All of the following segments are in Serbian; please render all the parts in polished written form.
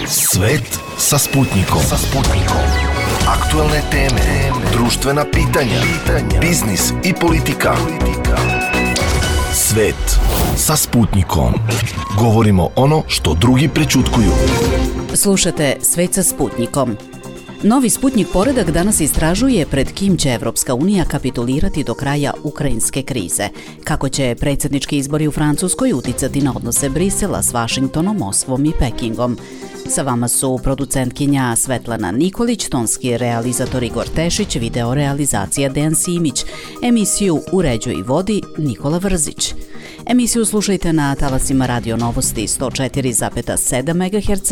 Svet sa Sputnikom. Aktuelne teme, društvena pitanja, biznis i politika. Svet sa Sputnikom. Govorimo ono što drugi prećutkuju. Slušate Svet sa Sputnikom. Novi Sputnik poredak danas istražuje pred kim će Evropska unija kapitulirati do kraja ukrajinske krize, kako će predsjednički izbori u Francuskoj uticati na odnose Brisela s Vašingtonom, Moskvom i Pekingom. Sa vama su producentkinja Svetlana Nikolić, tonski realizator Igor Tešić, video realizacija Dejan Simić, emisiju uređuje i vodi Nikola Vrzić. Emisiju slušajte na talasima Radio Novosti 104,7 MHz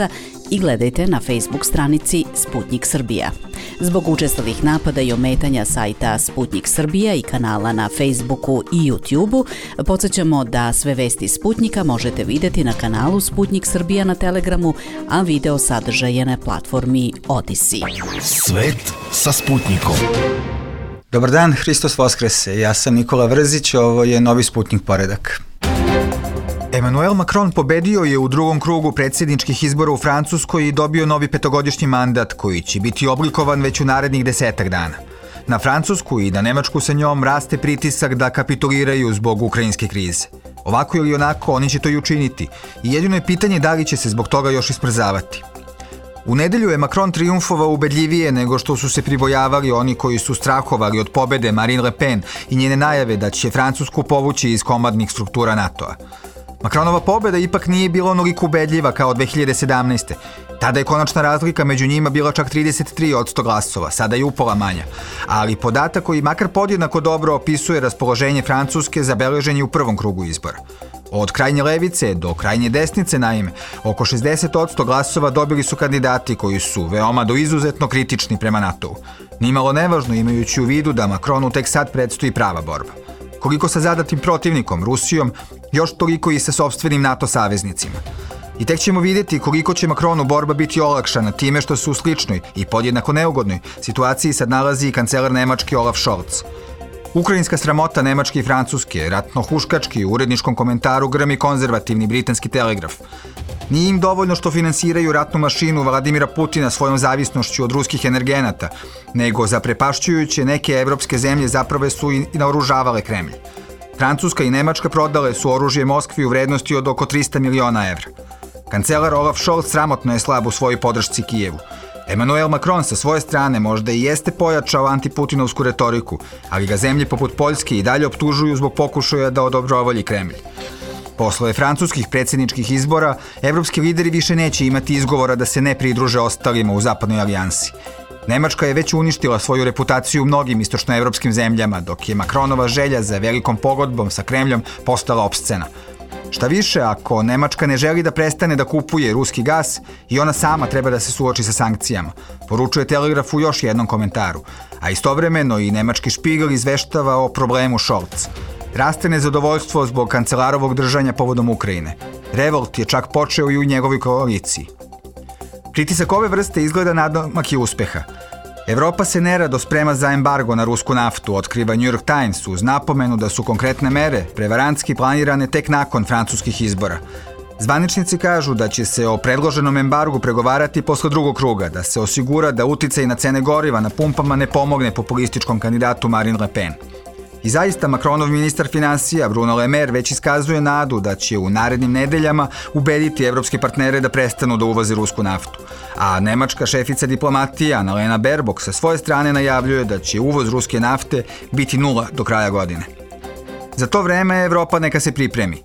i gledajte na Facebook stranici Sputnik Srbija. Zbog učestalih napada i ometanja sajta Sputnik Srbija i kanala na Facebooku i YouTubeu, podsjećamo da sve vesti Sputnika možete vidjeti na kanalu Sputnik Srbija na Telegramu, a video sadržaje na platformi Odyssey. Svet sa Sputnikom. Dobar dan, Hristos Voskrese, ja sam Nikola Vrzić, ovo je Novi Sputnik poredak. Emmanuel Macron pobedio je u drugom krugu predsjedničkih izbora u Francuskoj i dobio novi petogodišnji mandat koji će biti oblikovan već u narednih 10 dana. Na Francusku i na Nemačku sa njom raste pritisak da kapituliraju zbog ukrajinske krize. Ovako ili onako oni će to i učiniti i jedino je pitanje da li će se zbog toga još ismrzavati. U nedelju je Macron trijumfovao ubedljivije nego što su se pribojavali oni koji su strahovali od pobede Marine Le Pen i njene najave da će Francusku povući iz komandnih struktura NATO-a. Macronova pobeda ipak nije bila onoliko ubedljiva kao 2017. Tada je konačna razlika među njima bila čak 33% glasova, sada je upola manja. Ali podatak koji makar podjednako dobro opisuje raspoloženje Francuske zabeležen je u prvom krugu izbora. Od krajnje levice do krajnje desnice, naime, oko 60% glasova dobili su kandidati koji su veoma do izuzetno kritični prema NATO-u. Nimalo nevažno imajući u vidu da Macronu tek sad predstoji prava borba. Koliko sa zadatim protivnikom, Rusijom, još toliko i sa sopstvenim NATO saveznicima. I tek ćemo vidjeti koliko će Macronu borba biti olakšana time što se u sličnoj i podjednako neugodnoj situaciji sad nalazi i kancelar Nemačke Olaf Scholz. Ukrajinska sramota Nemačke i Francuske, ratno-huškački u uredničkom komentaru grmi konzervativni britanski Telegraf. Nije im dovoljno što finansiraju ratnu mašinu Vladimira Putina svojom zavisnošću od ruskih energenata, nego zaprepašćujuće neke evropske zemlje zapravo su i naoružavale Kremlj. Francuska i Nemačka prodale su oružje Moskvi u vrednosti od oko 300 miliona evra. Kancelar Olaf Scholz sramotno je slab u svojoj podršci Kijevu. Emmanuel Macron sa svoje strane možda i jeste pojačao antiputinovsku retoriku, ali ga zemlje poput Poljske i dalje optužuju zbog pokušaja da odobrovolji Kremlj. Posle francuskih predsjedničkih izbora, evropski lideri više neće imati izgovora da se ne pridruže ostalima u zapadnoj alijansi. Nemačka je već uništila svoju reputaciju u mnogim istočnoevropskim zemljama, dok je Macronova želja za velikom pogodbom sa Kremljom postala opscena. Šta više, ako Nemačka ne želi da prestane da kupuje ruski gas, i ona sama treba da se suoči sa sankcijama, poručuje Telegraf u još jednom komentaru, a istovremeno i nemački Špigel izveštava o problemu Scholz. Raste nezadovoljstvo zbog kancelarovog držanja povodom Ukrajine. Revolt je čak počeo i u njegovoj koaliciji. Pritisak ove vrste izgleda nadomak i uspeha. Evropa se nerado sprema za embargo na rusku naftu, otkriva New York Times uz napomenu da su konkretne mere prevarantski planirane tek nakon francuskih izbora. Zvaničnici kažu da će se o predloženom embargu pregovarati posle drugog kruga, da se osigura da uticaj na cene goriva na pumpama ne pomogne populističkom kandidatu Marine Le Pen. I zaista Macronov ministar finansija Bruno Le Maire već iskazuje nadu da će u narednim nedeljama ubediti evropske partnere da prestanu da uvoze rusku naftu. A nemačka šefica diplomatije Annalena Baerbock sa svoje strane najavljuje da će uvoz ruske nafte biti 0 do kraja godine. Za to vreme Evropa neka se pripremi.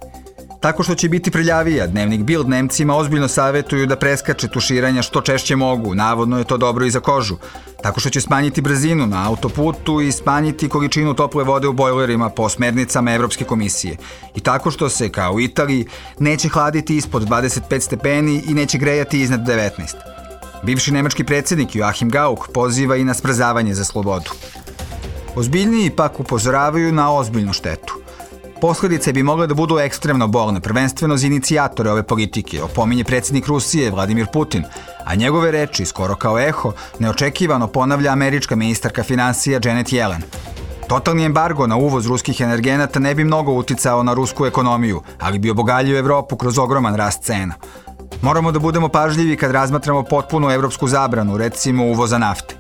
Tako što će biti prljavija, dnevnik Bild Nemcima ozbiljno savjetuju da preskače tuširanja što češće mogu, navodno je to dobro i za kožu. Tako što će smanjiti brzinu na autoputu i smanjiti količinu tople vode u bojlerima po smernicama Evropske komisije. I tako što se, kao u Italiji, neće hladiti ispod 25 stepeni i neće grejati iznad 19. Bivši nemački predsjednik Joachim Gauck poziva i na smrzavanje za slobodu. Ozbiljniji pak upozoravaju na ozbiljnu štetu. Posledice bi mogle da budu ekstremno bolne, prvenstveno za inicijatore ove politike, opominje predsjednik Rusije Vladimir Putin, a njegove reči, skoro kao eho, neočekivano ponavlja američka ministarka finansija Janet Yellen. Totalni embargo na uvoz ruskih energenata ne bi mnogo uticao na rusku ekonomiju, ali bi obogaljio Evropu kroz ogroman rast cena. Moramo da budemo pažljivi kad razmatramo potpunu evropsku zabranu, recimo uvoza nafte.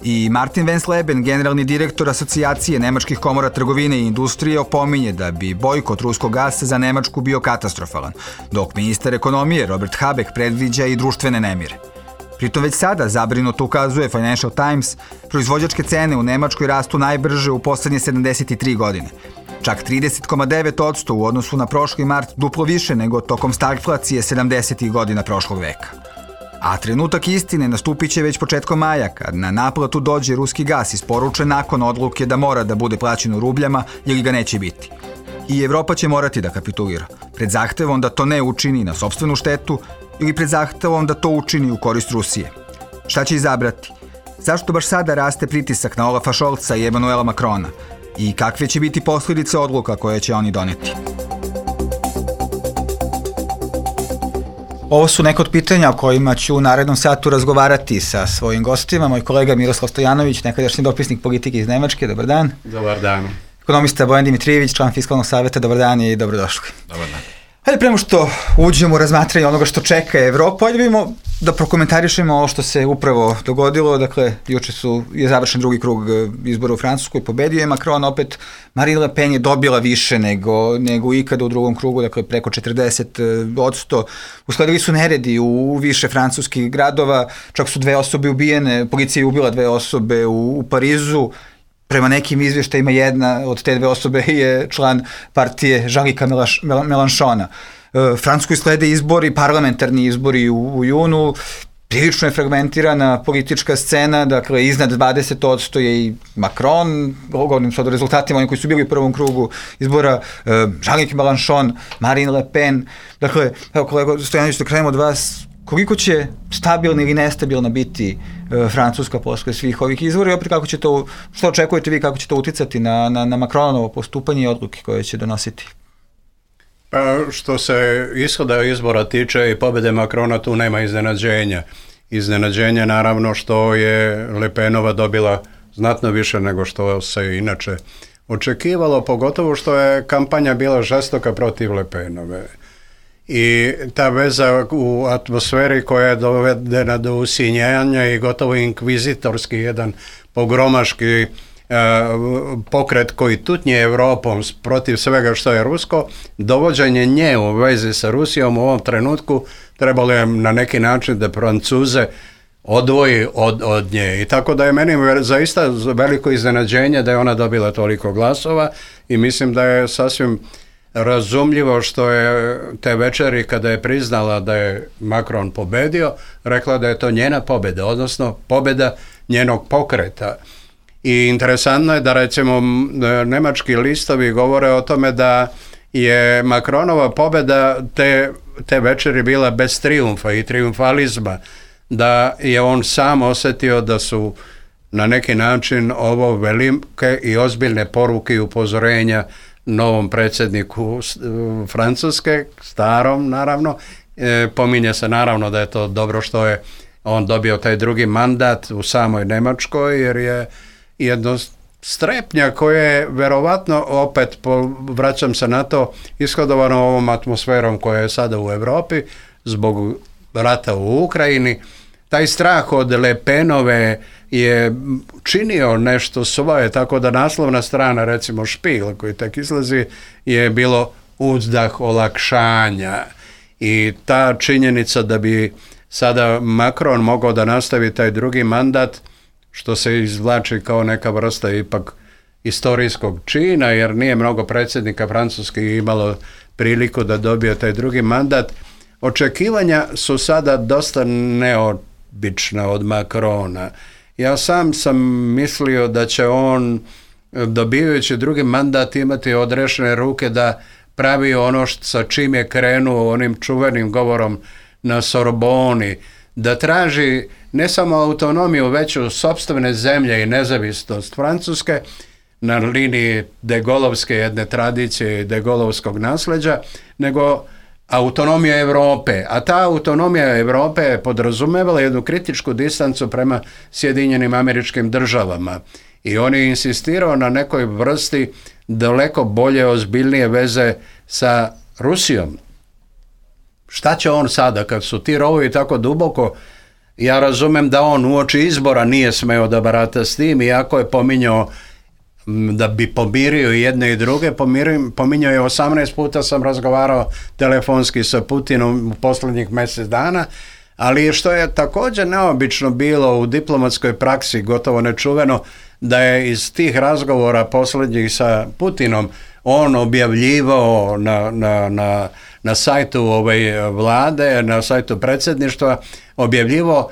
I Martin Wensleben, generalni direktor Asocijacije Nemačkih komora trgovine i industrije, opominje da bi bojkot ruskog gasa za Nemačku bio katastrofalan, dok ministar ekonomije Robert Habeck predviđa i društvene nemire. Pritom već sada, zabrinuto ukazuje Financial Times, proizvođačke cene u Nemačkoj rastu najbrže u poslednje 73 godine. Čak 30,9% u odnosu na prošli mart, duplo više nego tokom stagflacije 70. godina prošlog veka. A trenutak istine nastupit će već početkom maja, kad na naplatu dođe ruski gas isporučen nakon odluke da mora da bude plaćen u rubljama ili ga neće biti. I Evropa će morati da kapitulira, pred zahtevom da to ne učini na sopstvenu štetu ili pred zahtevom da to učini u korist Rusije. Šta će izabrati? Zašto baš sada raste pritisak na Olafa Scholza i Emmanuela Macrona? I kakve će biti posljedice odluka koje će oni doneti? Ovo su neka od pitanja o kojima ću u narednom satu razgovarati sa svojim gostima. Moj kolega Miroslav Stojanović, nekadašnji dopisnik politike iz Nemačke. Dobar dan. Dobar dan. Ekonomista Bojan Dimitrijević, član Fiskalnog saveta. Dobar dan i dobrodošli. Dobar dan. Hajde, prema što uđemo u razmatranje onoga što čeka Evropu, hajde vidimo da prokomentarišemo ovo što se upravo dogodilo. Dakle, juče je završen drugi krug izbora u Francuskoj, pobedio je Macron, opet Marine Le Pen je dobila više nego ikada u drugom krugu, dakle preko 40%. Usledili su neredi u više francuskih gradova, čak su 2 osobe ubijene, policija je ubila 2 osobe u Parizu. Prema nekim izvještajima jedna od te 2 osobe je član partije Jean-Luca Mélenchona. Francuskoj slede izbori, parlamentarni izbori u junu, prilično je fragmentirana politička scena, dakle iznad 20% je i Macron, govorim sad o rezultatima, oni koji su bili u prvom krugu izbora, Jean-Luc Mélenchon, Marine Le Pen. Dakle, evo kolega Stojanović, da krenemo od vas, koliko će stabilna ili nestabilna biti Francuska posle svih ovih izbora i opet kako će to, što očekujete vi, kako će to uticati na Macronovo postupanje i odluke koje će donositi? Pa što se ishoda izbora tiče i pobjede Macrona, tu nema iznenađenja. Iznenađenje naravno što je Le Penova dobila znatno više nego što se inače očekivalo, pogotovo što je kampanja bila žestoka protiv Le Penove. I ta veza u atmosferi koja je dovedena do usinjanja i gotovo inkvizitorski jedan pogromaški pokret koji tutnje Evropom protiv svega što je rusko, dovođenje nje u vezi sa Rusijom u ovom trenutku trebalo je na neki način da Francuze odvoji od nje. I tako da je meni zaista veliko iznenađenje da je ona dobila toliko glasova i mislim da je sasvim razumljivo što je te večeri kada je priznala da je Macron pobedio, rekla da je to njena pobjeda, odnosno pobjeda njenog pokreta. I interesantno je da recimo nemački listovi govore o tome da je Macronova pobjeda te večeri bila bez trijumfa i trijumfalizma, da je on sam osjetio da su na neki način ovo velike i ozbiljne poruke i upozorenja novom predsjedniku Francuske, starom naravno. Pominje se naravno da je to dobro što je on dobio taj drugi mandat u samoj Njemačkoj, jer je jedno strepnja koje je verovatno, opet vraćam se na to, ishodovano ovom atmosferom koja je sada u Europi zbog rata u Ukrajini. Taj strah od Le Penove je činio nešto svoje, tako da naslovna strana, recimo Špil, koji tek izlazi, je bilo uzdah olakšanja. I ta činjenica da bi sada Macron mogao da nastavi taj drugi mandat, što se izvlači kao neka vrsta ipak istorijskog čina, jer nije mnogo predsjednika Francuske imalo priliku da dobije taj drugi mandat. Očekivanja su sada dosta neobična od Macrona. Ja sam mislio da će on, dobivajući drugi mandat, imati odrešene ruke da pravi ono sa čim je krenuo onim čuvenim govorom na Sorboni, da traži ne samo autonomiju, već u sopstvene zemlje i nezavisnost Francuske na liniji de Gaulleovske jedne tradicije i de Gaulleovskog nasljeđa, nego autonomija Europe. A ta autonomija Europe je podrazumevala jednu kritičku distancu prema Sjedinjenim Američkim Državama. I on je insistirao na nekoj vrsti daleko bolje, ozbiljnije veze sa Rusijom. šta će on sada kad su ti rovovi tako duboko? Ja razumem da on uoči izbora nije smeo da barata s tim, iako je pominjao da bi pomirio jedne i druge, pominjao je 18 puta sam razgovarao telefonski sa Putinom u posljednjih mjesec dana, ali što je također neobično bilo u diplomatskoj praksi, gotovo nečuveno, da je iz tih razgovora posljednjih sa Putinom on objavljivao na sajtu vlade, na sajtu predsjedništva, objavljivao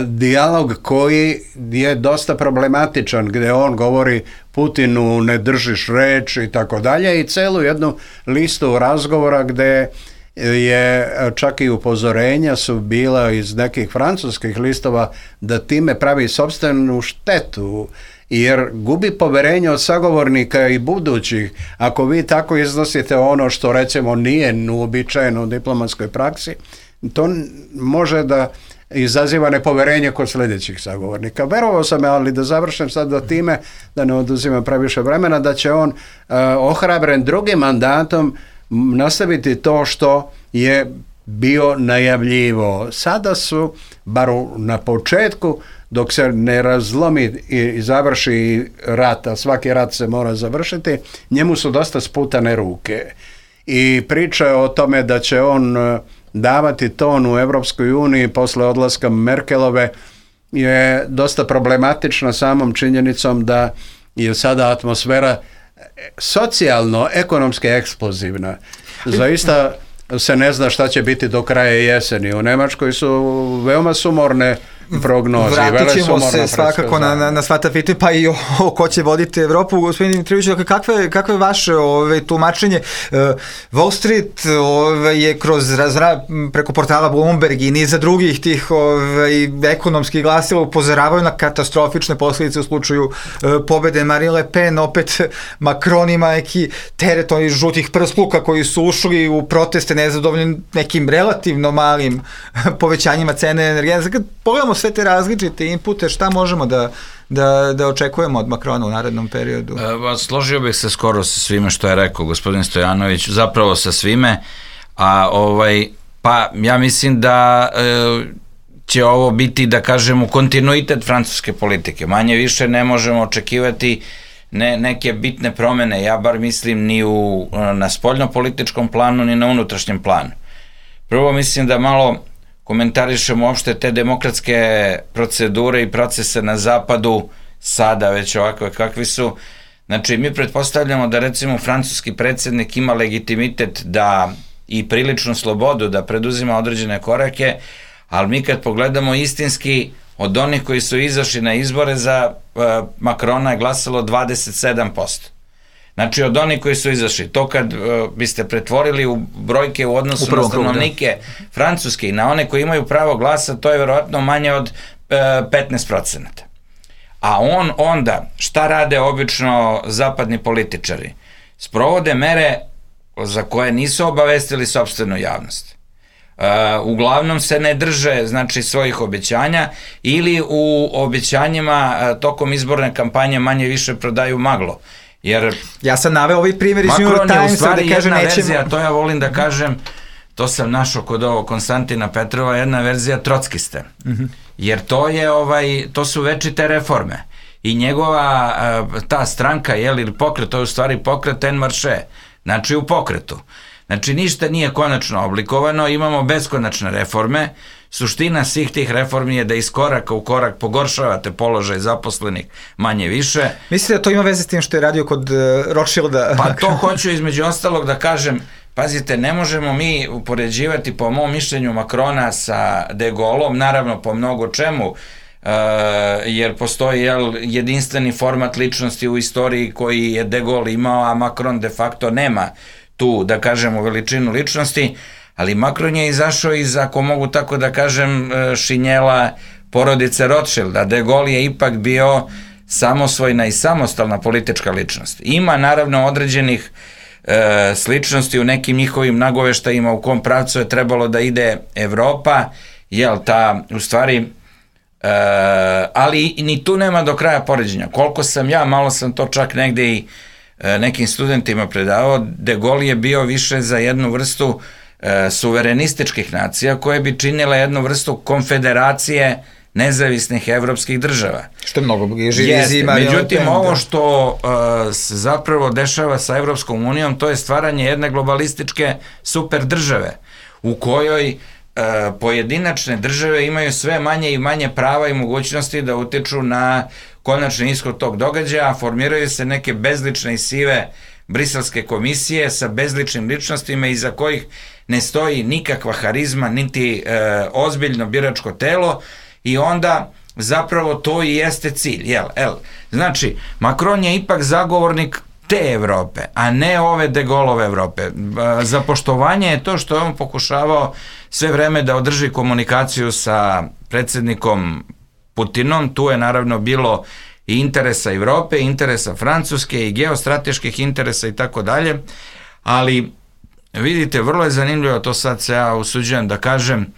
dijalog koji je dosta problematičan, gdje on govori Putinu ne držiš reč i tako dalje, i celu jednu listu razgovora gdje je čak i upozorenja su bila iz nekih francuskih listova da time pravi sopstvenu štetu, jer gubi poverenje od sagovornika i budućih. Ako vi tako iznosite ono što recimo nije uobičajeno u diplomatskoj praksi, to može da izaziva nepoverenje kod sljedećih sagovornika. Verovao sam, ali da završim sad do time, da ne oduzimam previše vremena, da će on ohrabren drugim mandatom nastaviti to što je bio najavljivo. Sada su, bar na početku, dok se ne razlomi i završi rat, a svaki rat se mora završiti, njemu su dosta sputane ruke. I priča o tome da će on davati ton u Europskoj uniji posle odlaska Merkelove je dosta problematična samom činjenicom da je sada atmosfera socijalno-ekonomski eksplozivna. Zaista se ne zna šta će biti do kraja jeseni. U Nemačkoj su veoma sumorne prognoze. Vratit ćemo se svakako na sva ta pitanja, pa i ko će voditi Evropu. Gospodin Dimitrijević, kakvo je vaše tumačenje? Wall Street je kroz preko portala Bloomberg i niza drugih tih ekonomskih glasila upozoravaju na katastrofične posljedice u slučaju pobede Marine Le Pen. Opet Macron ima neki teret ovih žutih prskluka koji su ušli u proteste nezadovoljni nekim relativno malim povećanjima cene energenata. Kad pogledamo sve te različite inpute, šta možemo da očekujemo od Macrona u narednom periodu? Složio bih se skoro sa svime što je rekao gospodin Stojanović, zapravo sa svime, pa ja mislim da će ovo biti, da kažemo, kontinuitet francuske politike. Manje više ne možemo očekivati neke bitne promene, ja bar mislim ni na spoljnopolitičkom planu, ni na unutrašnjem planu. Prvo mislim da malo komentarišemo uopšte te demokratske procedure i procese na zapadu, sada već ovakve kakvi su. Znači, mi pretpostavljamo da recimo francuski predsjednik ima legitimitet da i priličnu slobodu da preduzima određene korake, ali mi kad pogledamo istinski, od onih koji su izašli na izbore za Macrona je glasalo 27%. Znači, od onih koji su izašli, to kad biste pretvorili u brojke u odnosu na stanovnike Francuske i na one koji imaju pravo glasa, to je verovatno manje od 15%. A onda, šta rade obično zapadni političari? Sprovode mere za koje nisu obavestili sopstvenu javnost. Uglavnom se ne drže, znači, svojih obećanja ili u obećanjima tokom izborne kampanje manje više prodaju maglo. Jer ja sam naveo ovaj primjer iz New York Timesa, Macron je u stvari da kaže jedna nećemo... verzija, to ja volim da kažem, to sam našao kod ovog Konstantina Petrova, jedna verzija trockiste. Jer to su večite reforme. I njegova ta stranka, ili pokret, to je u stvari pokret En Marche, znači u pokretu. Znači ništa nije konačno oblikovano, imamo beskonačne reforme. Suština svih tih reformi je da iz koraka u korak pogoršavate položaj zaposlenih manje više. Mislite da to ima veze s tim što je radio kod Rothschilda? Pa to hoću između ostalog da kažem, pazite, ne možemo mi upoređivati po mom mišljenju Macrona sa De Gaulleom, naravno po mnogo čemu, jer postoji jedinstveni format ličnosti u istoriji koji je De Gaulle imao, a Macron de facto nema tu, da kažemo, veličinu ličnosti, ali Macron je izašao iz, ako mogu tako da kažem, šinjela porodice Rothschilda. De Gaulle je ipak bio samosvojna i samostalna politička ličnost. Ima naravno određenih sličnosti u nekim njihovim nagoveštajima u kom pravcu je trebalo da ide Evropa, u stvari, ali ni tu nema do kraja poređenja. Koliko sam ja, malo sam to čak negde i nekim studentima predavao, De Gaulle je bio više za jednu vrstu suverenističkih nacija koje bi činile jednu vrstu konfederacije nezavisnih evropskih država. Što je mnogo bliže. Međutim, ovo što se zapravo dešava sa Evropskom unijom, to je stvaranje jedne globalističke super države, u kojoj pojedinačne države imaju sve manje i manje prava i mogućnosti da utiču na konačni ishod tog događaja, formiraju se neke bezlične i sive briselske komisije sa bezličnim ličnostima iza kojih ne stoji nikakva harizma, niti ozbiljno biračko telo, i onda zapravo to i jeste cilj. Znači, Macron je ipak zagovornik te Evrope, a ne ove de Gaulleove Evrope. Za poštovanje je to što je on pokušavao sve vreme da održi komunikaciju sa predsjednikom Putinom. Tu je naravno bilo i interesa Evrope, i interesa Francuske, i geostrateških interesa i tako dalje, ali vidite, vrlo je zanimljivo, to sad se ja usuđujem da kažem,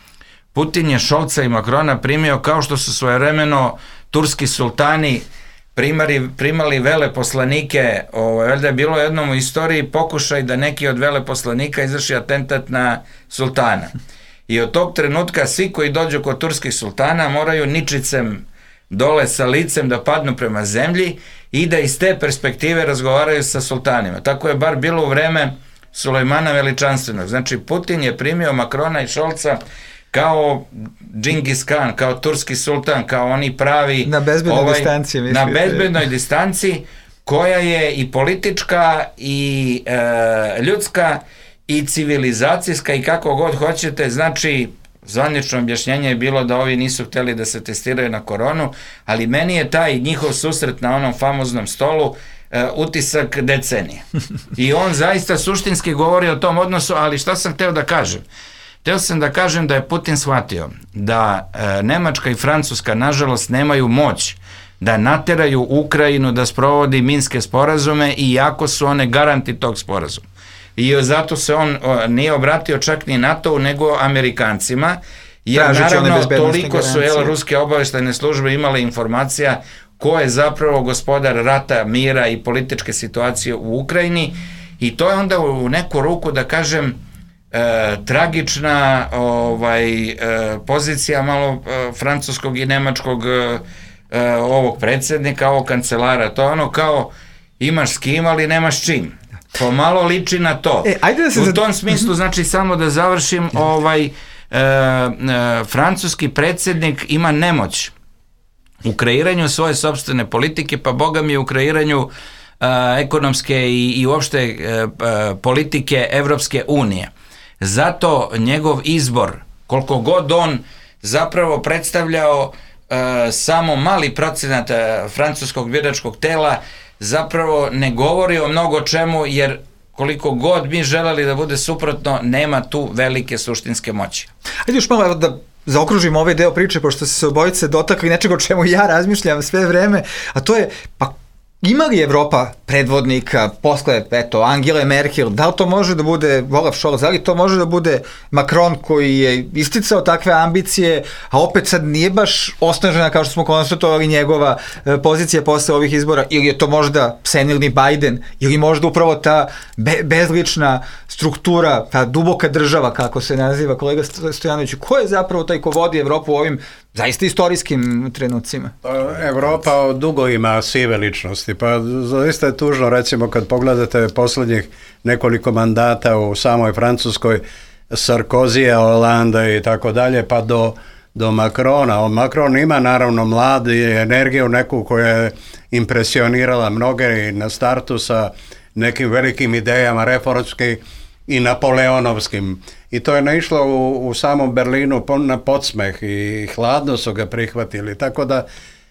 Putin je Scholza i Macrona primio kao što su svojevremeno turski sultani primali veleposlanike. Valjda je bilo jednom u istoriji pokušaj da neki od veleposlanika izvrši atentat na sultana. I od tog trenutka svi koji dođu kod turskih sultana moraju ničicem dole sa licem da padnu prema zemlji i da iz te perspektive razgovaraju sa sultanima. Tako je bar bilo u vreme Sulejmana Veličanstvenog. Znači, Putin je primio Macrona i Scholza kao Džingis Khan, kao turski sultan, kao oni pravi... Na bezbednoj distanci. Na bezbednoj distanci, koja je i politička, i ljudska, i civilizacijska, i kako god hoćete. Znači, zvanično objašnjenje je bilo da ovi nisu hteli da se testiraju na koronu, ali meni je taj njihov susret na onom famoznom stolu utisak decenije. I on zaista suštinski govori o tom odnosu, ali šta sam hteo da kažem? Hteo sam da kažem da je Putin shvatio da Nemačka i Francuska nažalost nemaju moć da nateraju Ukrajinu da sprovodi minske sporazume, iako su one garanti tog sporazuma. I zato se on nije obratio čak ni NATO-u, nego Amerikancima, jer naravno toliko su ruske obaveštajne službe imale informacija ko je zapravo gospodar rata, mira i političke situacije u Ukrajini, i to je onda u neku ruku, da kažem, tragična pozicija malo francuskog i nemačkog ovog predsjednika, ovog kancelara. To je ono kao imaš s kim, ali nemaš čim. Pomalo liči na to. U tom smislu, znači, samo da završim, francuski predsjednik ima nemoć u kreiranju svoje sopstvene politike, pa boga mi u kreiranju ekonomske i uopšte politike Evropske unije. Zato njegov izbor, koliko god on zapravo predstavljao samo mali procenat francuskog biračkog tela, zapravo ne govori o mnogo čemu, jer koliko god mi želeli da bude suprotno, nema tu velike suštinske moći. Ajde još malo da zaokružimo ovaj deo priče, pošto se obojice dotakli nečega o čemu ja razmišljam sve vreme, a to je, pa ima li Evropa predvodnika posle, Angele Merkel, da li to može da bude Olaf Scholz, da li to može da bude Macron koji je isticao takve ambicije, a opet sad nije baš osnažena, kao što smo konstatovali, njegova pozicija posle ovih izbora, ili je to možda senilni Biden, ili možda upravo ta bezlična struktura, ta duboka država, kako se naziva kolega Stojanović, ko je zapravo taj ko vodi Evropu u ovim zaista istorijskim trenucima? Evropa dugo ima sive ličnosti, pa zaista je tužno, recimo, kad pogledate poslednjih nekoliko mandata u samoj Francuskoj, Sarkozija, Hollande i tako dalje, pa do Macrona. Macron ima naravno mlad i energiju neku koja je impresionirala mnoge i na startu sa nekim velikim idejama reformskim i napoleonovskim. I to je naišlo u samom Berlinu na podsmeh i hladno su ga prihvatili. Tako da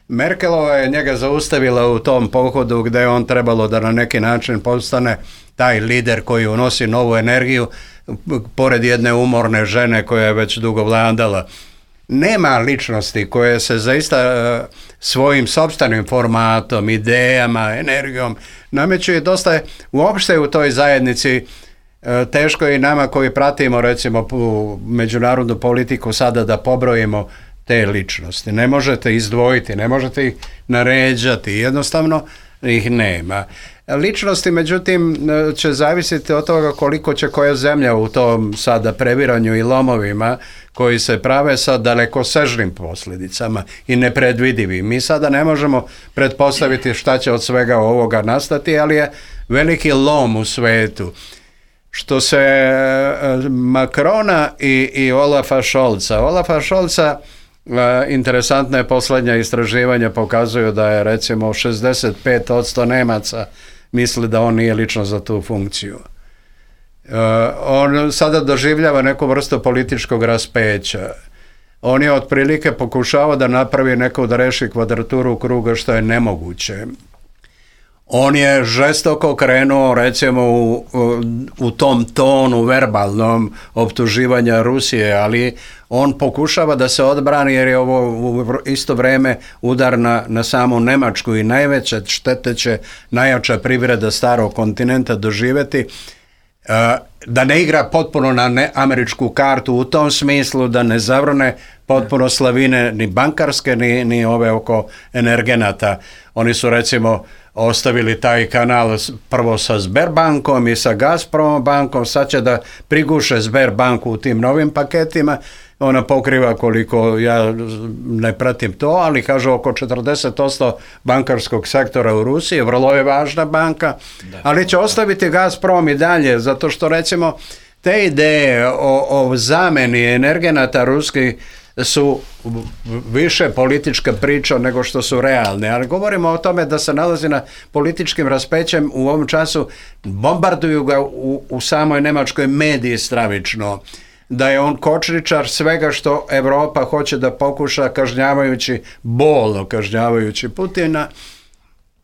Merkelova je njega zaustavila u tom pohodu gde je on trebalo da na neki način postane taj lider koji unosi novu energiju pored jedne umorne žene koja je već dugo vladala. Nema ličnosti koje se zaista svojim sopstvenim formatom, idejama, energijom nameću i dosta je uopšte u toj zajednici. Teško je i nama koji pratimo, recimo, međunarodnu politiku sada da pobrojimo te ličnosti. Ne možete izdvojiti, ne možete ih naređati, jednostavno ih nema. ličnosti, međutim, će zavisiti od toga koliko će koja zemlja u tom sada previranju i lomovima koji se prave sa dalekosežnim posljedicama i nepredvidivim. Mi sada ne možemo pretpostaviti šta će od svega ovoga nastati, ali je veliki lom u svetu. Što se Macrona i Olafa Scholza, interesantna je posljednja istraživanja pokazuju da je recimo 65% Nemaca misli da on nije lično za tu funkciju. On sada doživljava neku vrstu političkog raspeća. On je otprilike pokušavao da napravi neku, da reši kvadraturu kruga, što je nemoguće. On je žestoko krenuo recimo u tom tonu verbalnom optuživanja Rusije, ali on pokušava da se odbrani jer je ovo u isto vrijeme udar na samu Njemačku i najveće štete će najjača privreda starog kontinenta doživjeti. Da ne igra potpuno na američku kartu u tom smislu, da ne zavrne potpuno slavine ni bankarske ni ove oko energenata. Oni su recimo ostavili taj kanal prvo sa Sberbankom i sa Gazprom bankom, sad će da priguše Sberbanku u tim novim paketima. Ona pokriva, koliko ja ne pratim to, ali kažu oko 40% bankarskog sektora u Rusiji, vrlo je važna banka, ali će ostaviti Gazprom i dalje, zato što recimo te ideje o zameni energenata ruskih su više politička priča nego što su realne, ali govorimo o tome da se nalazi na političkim raspećem u ovom času, bombarduju ga u samoj Njemačkoj mediji stravično, da je on kočničar svega što Europa hoće da pokuša, bolno kažnjavajući Putina,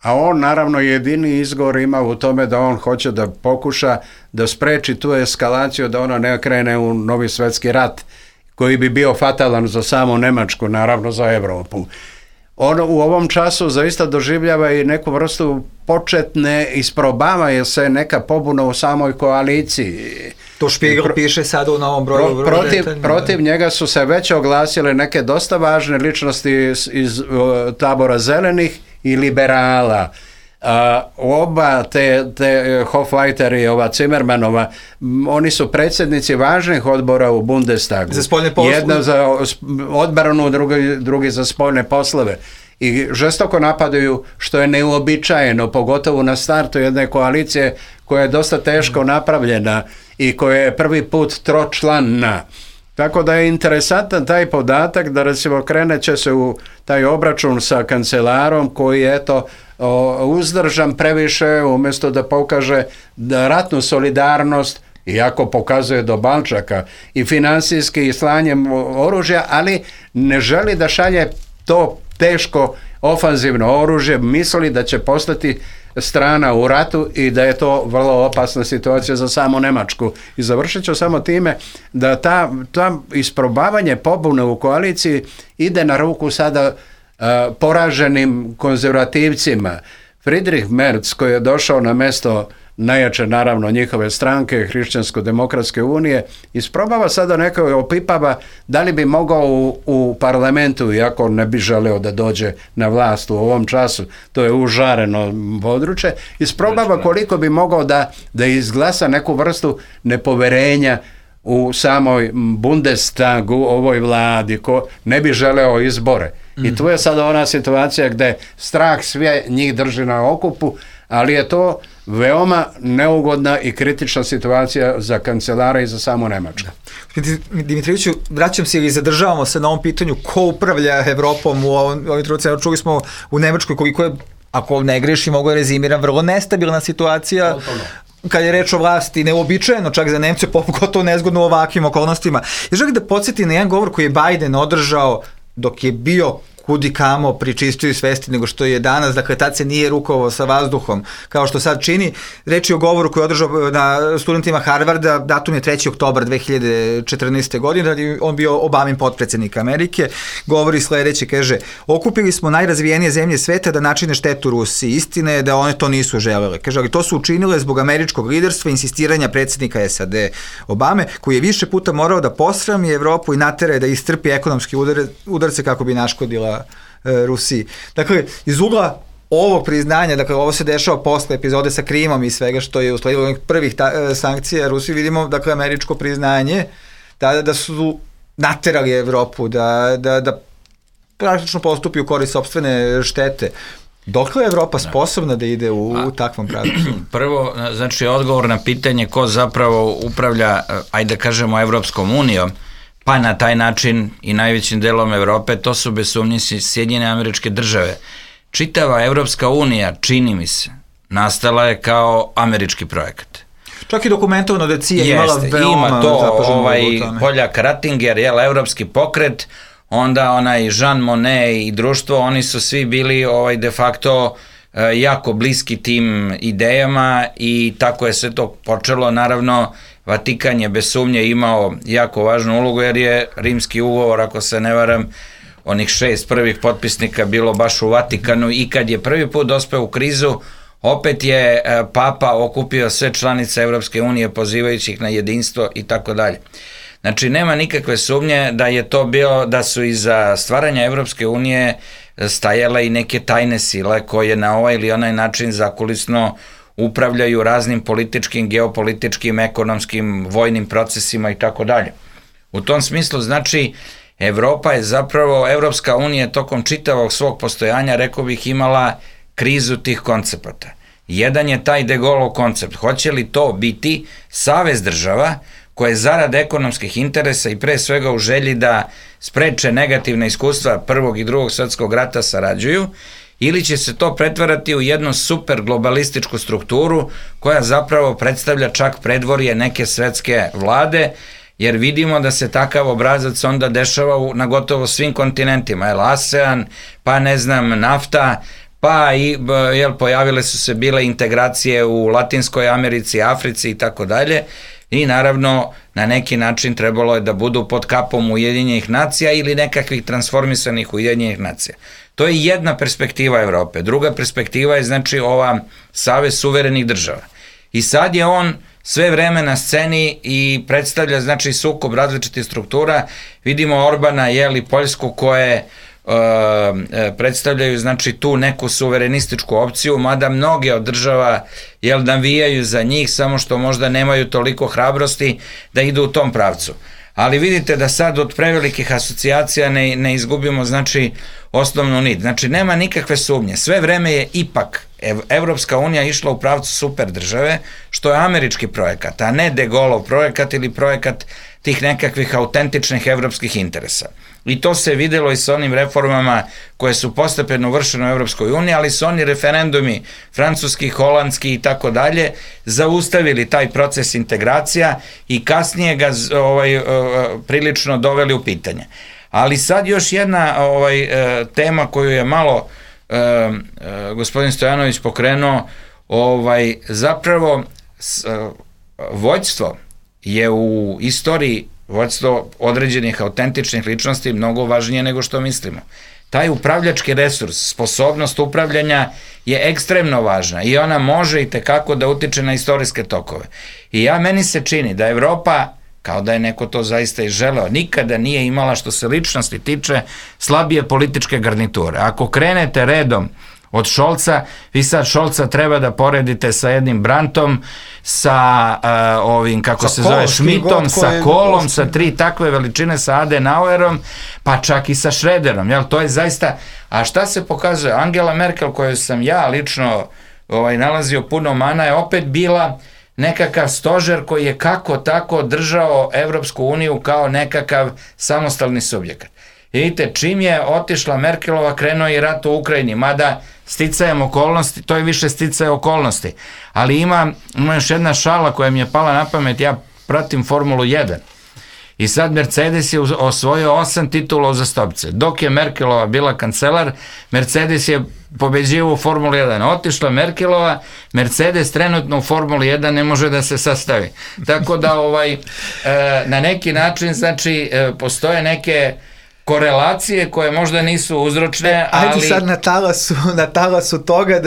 a on naravno jedini izgovor ima u tome da on hoće da pokuša da spreči tu eskalaciju, da ona ne krene u novi svjetski rat koji bi bio fatalan za samu Njemačku, naravno za Europu. On u ovom času zaista doživljava i neku vrstu početne, isprobava se neka pobuna u samoj koaliciji. To Spiegel piše sad u novom broju. Protiv njega su se već oglasile neke dosta važne ličnosti iz tabora zelenih i liberala. Oba te Hofleiter i ova Zimmermanova, oni su predsjednici važnih odbora u Bundestagu. Za spoljne poslove. Jedna za odbranu, drugi za spoljne poslove. I žestoko napadaju, što je neuobičajeno, pogotovo na startu jedne koalicije koja je dosta teško napravljena i koja je prvi put tročlanna. Tako da je interesantan taj podatak da recimo krenut će se u taj obračun sa kancelarom koji je uzdržan previše, umjesto da pokaže ratnu solidarnost, iako pokazuje do balčaka i finansijski i slanjem oružja, ali ne želi da šalje to teško ofanzivno oružje, misli da će postati strana u ratu i da je to vrlo opasna situacija za samu Njemačku. I završit ću samo time da ta isprobavanje pobune u koaliciji ide na ruku sada poraženim konzervativcima. Friedrich Merz, koji je došao na mjesto najjače naravno njihove stranke, Hrišćansko-demokratske unije, isprobava sada neko opipava da li bi mogao u parlamentu, iako ne bi želeo da dođe na vlast u ovom času, to je užareno područje, isprobava koliko bi mogao da izglasa neku vrstu nepoverenja u samoj Bundestagu, ovoj vladi, ko ne bi želeo izbore. I tu je sada ona situacija gdje strah sve njih drži na okupu, ali je to veoma neugodna i kritična situacija za kancelara i za samu Njemačku. Dimitrijeviću, vraćam se ili zadržavamo se na ovom pitanju ko upravlja Evropom u ovim trenucima. Čuli smo u Nemačkoj koliko je, ako ne greši, mogu rezimiram, vrlo nestabilna situacija. Kad je reč o vlasti, neuobičajeno čak za Nemce, pogotovo nezgodno u ovakvim okolnostima. Ja želim da podsjetim na jedan govor koji je Biden održao dok je bio kudi kamo pri čistoj svesti nego što je danas, dakle tad se nije rukovao sa vazduhom kao što sad čini. Reč je o govoru koji je održao na studentima Harvarda, datum je 3. oktobar 2014. godine, on bio Obamin potpredsjednik Amerike, govori sledeće, kaže: okupili smo najrazvijenije zemlje sveta da načine štetu Rusiji, istina je da one to nisu želele, kaže, ali to su učinile zbog američkog liderstva i insistiranja predsjednika SAD Obame, koji je više puta morao da posrami Evropu i natera da istrpi ekonomski udarce kako bi naškodila Rusiji. Dakle, iz ugla ovog priznanja, dakle ovo se dešava posle epizode sa Krimom i svega što je usledilo onih prvih sankcija Rusiji, vidimo dakle američko priznanje tada da su naterali Evropu da praktično postupi u korist sopstvene štete. Dokle je Evropa sposobna da ide u takvom pravcu? Prvo, znači odgovor na pitanje ko zapravo upravlja, ajde da kažemo, Evropskom unijom, pa na taj način i najvećim delom Evrope, to su bez sumnje Sjedinjene Američke Države. Čitava Evropska unija, čini mi se, nastala je kao američki projekat. Čak i dokumentovano da CIA imala veoma ima to Poljak Rattinger, evropski pokret, onda onaj Jean Monnet i društvo, oni su svi bili de facto jako bliski tim idejama i tako je sve to počelo. Naravno, Vatikan je bez sumnje imao jako važnu ulogu jer je Rimski ugovor, ako se ne varam, onih 6 prvih potpisnika bilo baš u Vatikanu i kad je prvi put dospeo u krizu, opet je Papa okupio sve članice Evropske unije pozivajući ih na jedinstvo i tako dalje. Znači, nema nikakve sumnje da je to bio, da su iza stvaranja Evropske unije stajale i neke tajne sile koje na ovaj ili onaj način zakulisno upravljaju raznim političkim, geopolitičkim, ekonomskim, vojnim procesima i tako dalje. U tom smislu, znači, Evropa je zapravo, Evropska unija tokom čitavog svog postojanja, rekao bih, imala krizu tih koncepata. Jedan je taj de Gaulleov koncept. Hoće li to biti savez država koje zarad ekonomskih interesa i pre svega u želji da spreče negativne iskustva Prvog i Drugog svetskog rata sarađuju, ili će se to pretvarati u jednu super globalističku strukturu koja zapravo predstavlja čak predvorje neke svetske vlade, jer vidimo da se takav obrazac onda dešava na gotovo svim kontinentima, ASEAN, pa ne znam, NAFTA, pa i pojavile su se bile integracije u Latinskoj Americi, Africi i tako dalje, i naravno na neki način trebalo je da budu pod kapom Ujedinjenih nacija ili nekakvih transformisanih Ujedinjenih nacija. To je jedna perspektiva Evrope. Druga perspektiva je znači ova savez suverenih država. I sad je on sve vreme na sceni i predstavlja znači sukob različitih struktura. Vidimo Orbana, Poljsku, koje predstavljaju znači tu neku suverenističku opciju, mada mnoge od država navijaju za njih, samo što možda nemaju toliko hrabrosti da idu u tom pravcu. Ali vidite da sad od prevelikih asocijacija ne izgubimo znači osnovnu nit. Znači nema nikakve sumnje. Sve vreme je ipak Evropska unija išla u pravcu super države, što je američki projekat, a ne de Gaulleov projekat ili projekat tih nekakvih autentičnih evropskih interesa. I to se videlo i sa onim reformama koje su postepeno vršene u Evropskoj uniji, ali su oni referendumi francuski, holandski i tako dalje zaustavili taj proces integracija i kasnije ga prilično doveli u pitanje. Ali sad još jedna tema koju je malo gospodin Stojanović pokrenuo, zapravo vođstvo je u istoriji, vođstvo određenih autentičnih ličnosti mnogo važnije nego što mislimo. Taj upravljački resurs, sposobnost upravljanja je ekstremno važna i ona može i tekako da utiče na istorijske tokove. I meni se čini da Evropa, kao da je neko to zaista i želeo, nikada nije imala, što se ličnosti tiče, slabije političke garniture. Ako krenete redom od Šolca, vi sad Šolca treba da poredite sa jednim Brandtom, sa ovim, kako se zove, Schmidtom, sa Kohlom, sa 3 takve veličine, sa Adenauerom, pa čak i sa Schröderom, jel, to je zaista, a šta se pokazuje? Angela Merkel, koju sam ja lično nalazio puno mana, je opet bila nekakav stožer koji je kako tako držao Evropsku uniju kao nekakav samostalni subjekat. Vidite, čim je otišla Merkelova, krenuo i rat u Ukrajini, mada sticajem okolnosti, to je više sticaje okolnosti, ali ima još jedna šala koja mi je pala na pamet, ja pratim Formulu 1 i sad Mercedes je osvojio 8 titula uzastopce. Dok je Merkelova bila kancelar, Mercedes je pobeđivao u Formuli 1. Otišla Merkelova, Mercedes trenutno u Formuli 1 ne može da se sastavi. Tako da na neki način znači postoje neke korelacije koje možda nisu uzročne, ali... Ajde sad na talasu toga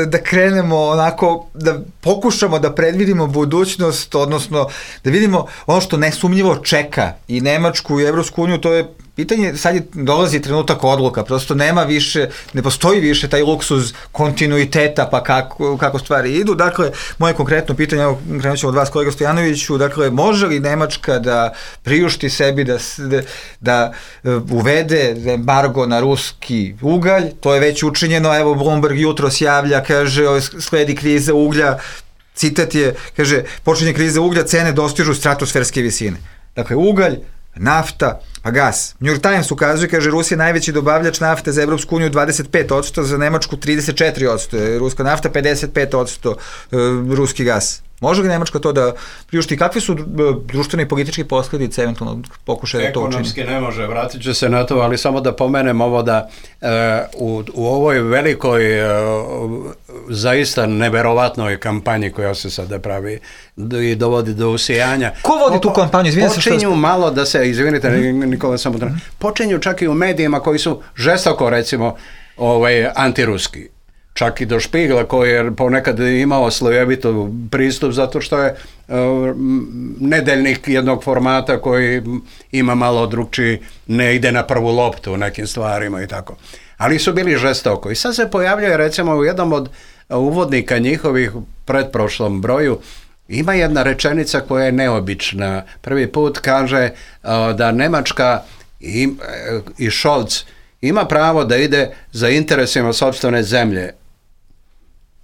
da krenemo onako, da pokušamo da predvidimo budućnost, odnosno da vidimo ono što nesumnjivo čeka i Nemačku i Evropsku uniju, to je pitanje, sad dolazi trenutak odluka, prosto nema više, ne postoji više taj luksuz kontinuiteta, pa kako stvari idu. Dakle, moje konkretno pitanje, evo, krenut ćemo od vas, kolega Stojanoviću, dakle, može li Nemačka da priušti sebi da uvede embargo na ruski ugalj? To je već učinjeno, evo, Bloomberg jutros javlja, kaže, sledi kriza uglja, citat je, kaže, počinje kriza uglja, cene dostižu stratosferske visine. Dakle, ugalj, nafta, pa gas. New York Times ukazuje, kaže, Rusija je najveći dobavljač nafte za Evropsku uniju 25%, za Nemačku 34%, ruska nafta 55%, ruski gas. Može li Nemačka to da priušti? Kakve su društvene i političke posljedice eventualno pokušaja da to učini? Ekonomski ne može, vratit ću se na to, ali samo da pomenem ovo da u ovoj velikoj zaista neverovatnoj kampanji koja se sada pravi i dovodi do usijanja. Ko vodi tu kampanju? Počinju malo da se, izvinite, Nikola, samo počinju čak i u medijima koji su žestoko, recimo, antiruski. Čak i do Špigla koji je ponekad imao slojevito pristup zato što je nedeljnik jednog formata koji ima malo drugčiji, ne ide na prvu loptu u nekim stvarima i tako. Ali su bili žestoko. I sad se pojavljuje recimo u jednom od uvodnika njihovih pretprošlom broju ima jedna rečenica koja je neobična. Prvi put kaže da Nemačka i Scholz ima pravo da ide za interesima sopstvene zemlje.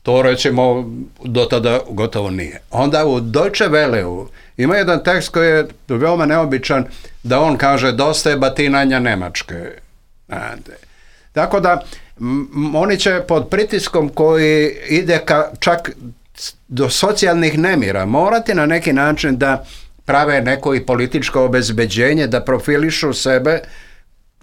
To recimo do tada gotovo nije. Onda u Deutsche Welleu ima jedan tekst koji je veoma neobičan da on kaže dosta je batinanja Nemačke. Tako da oni će pod pritiskom koji ide čak do socijalnih nemira morati na neki način da prave neko i političko obezbeđenje, da profilišu sebe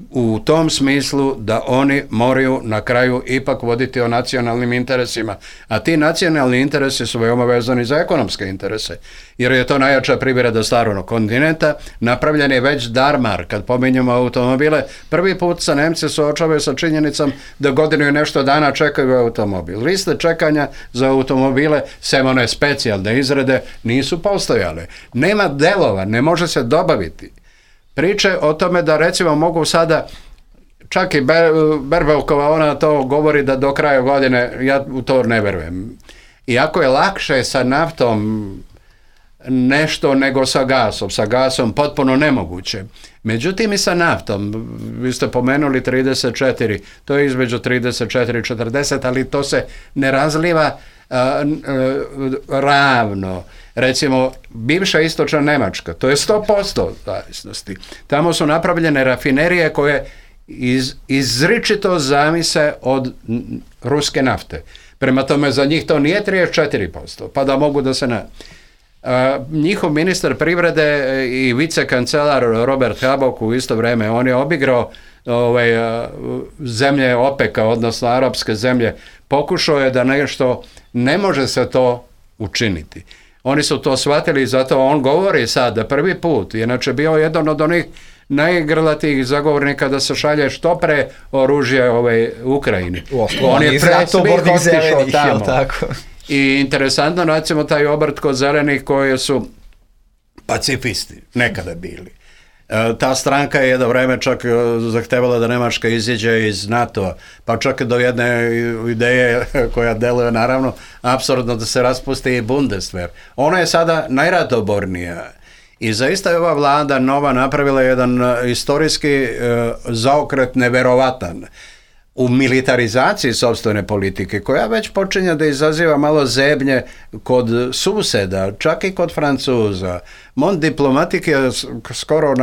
u tom smislu da oni moraju na kraju ipak voditi o nacionalnim interesima. A ti nacionalni interesi su veoma vezani za ekonomske interese. Jer je to najjača privreda starog kontinenta. Napravljen je već Darmar, kad pominjamo automobile. Prvi put se Nemci suočavaju sa činjenicom da godinu i nešto dana čekaju automobil. Liste čekanja za automobile, sem one specijalne izrade, nisu postojale. Nema delova, ne može se dobaviti. Priče o tome da recimo mogu sada, čak i Berbelkova, ona to govori da do kraja godine, ja u to ne verujem. Iako je lakše sa naftom nešto nego sa gasom potpuno nemoguće. Međutim i sa naftom, vi ste pomenuli 34, to je između 34 i 40, ali to se ne razliva ravno. Recimo, bivša istočna Nemačka, to je 100% zavisnosti. Tamo su napravljene rafinerije koje izričito zavise od ruske nafte. Prema tome, za njih to nije 34%, pa da mogu da se njihov ministar privrede i vicekancelar Robert Habeck u isto vrijeme, on je obigrao zemlje OPEC-a, odnosno arapske zemlje, pokušao je da nešto, ne može se to učiniti. Oni su to shvatili, zato on govori sad da prvi put, inače bio jedan od onih najgrlatijih zagovornika da se šalje što pre oružje Ukrajini. On je pre svih otišao tamo. Tako. I interesantno, recimo, taj obrt kod zelenih koji su pacifisti, nekada bili. Ta stranka je jedno vreme čak zahtevala da Nemačka iziđe iz NATO-a, pa čak do jedne ideje koja deluje naravno apsurdno da se raspusti i Bundeswehr. Ona je sada najratobornija i zaista je ova vlada nova napravila jedan istorijski zaokret neverovatan u militarizaciji sopstvene politike, koja već počinje da izaziva malo zebnje kod suseda, čak i kod Francuza. Mont Diplomatik je skoro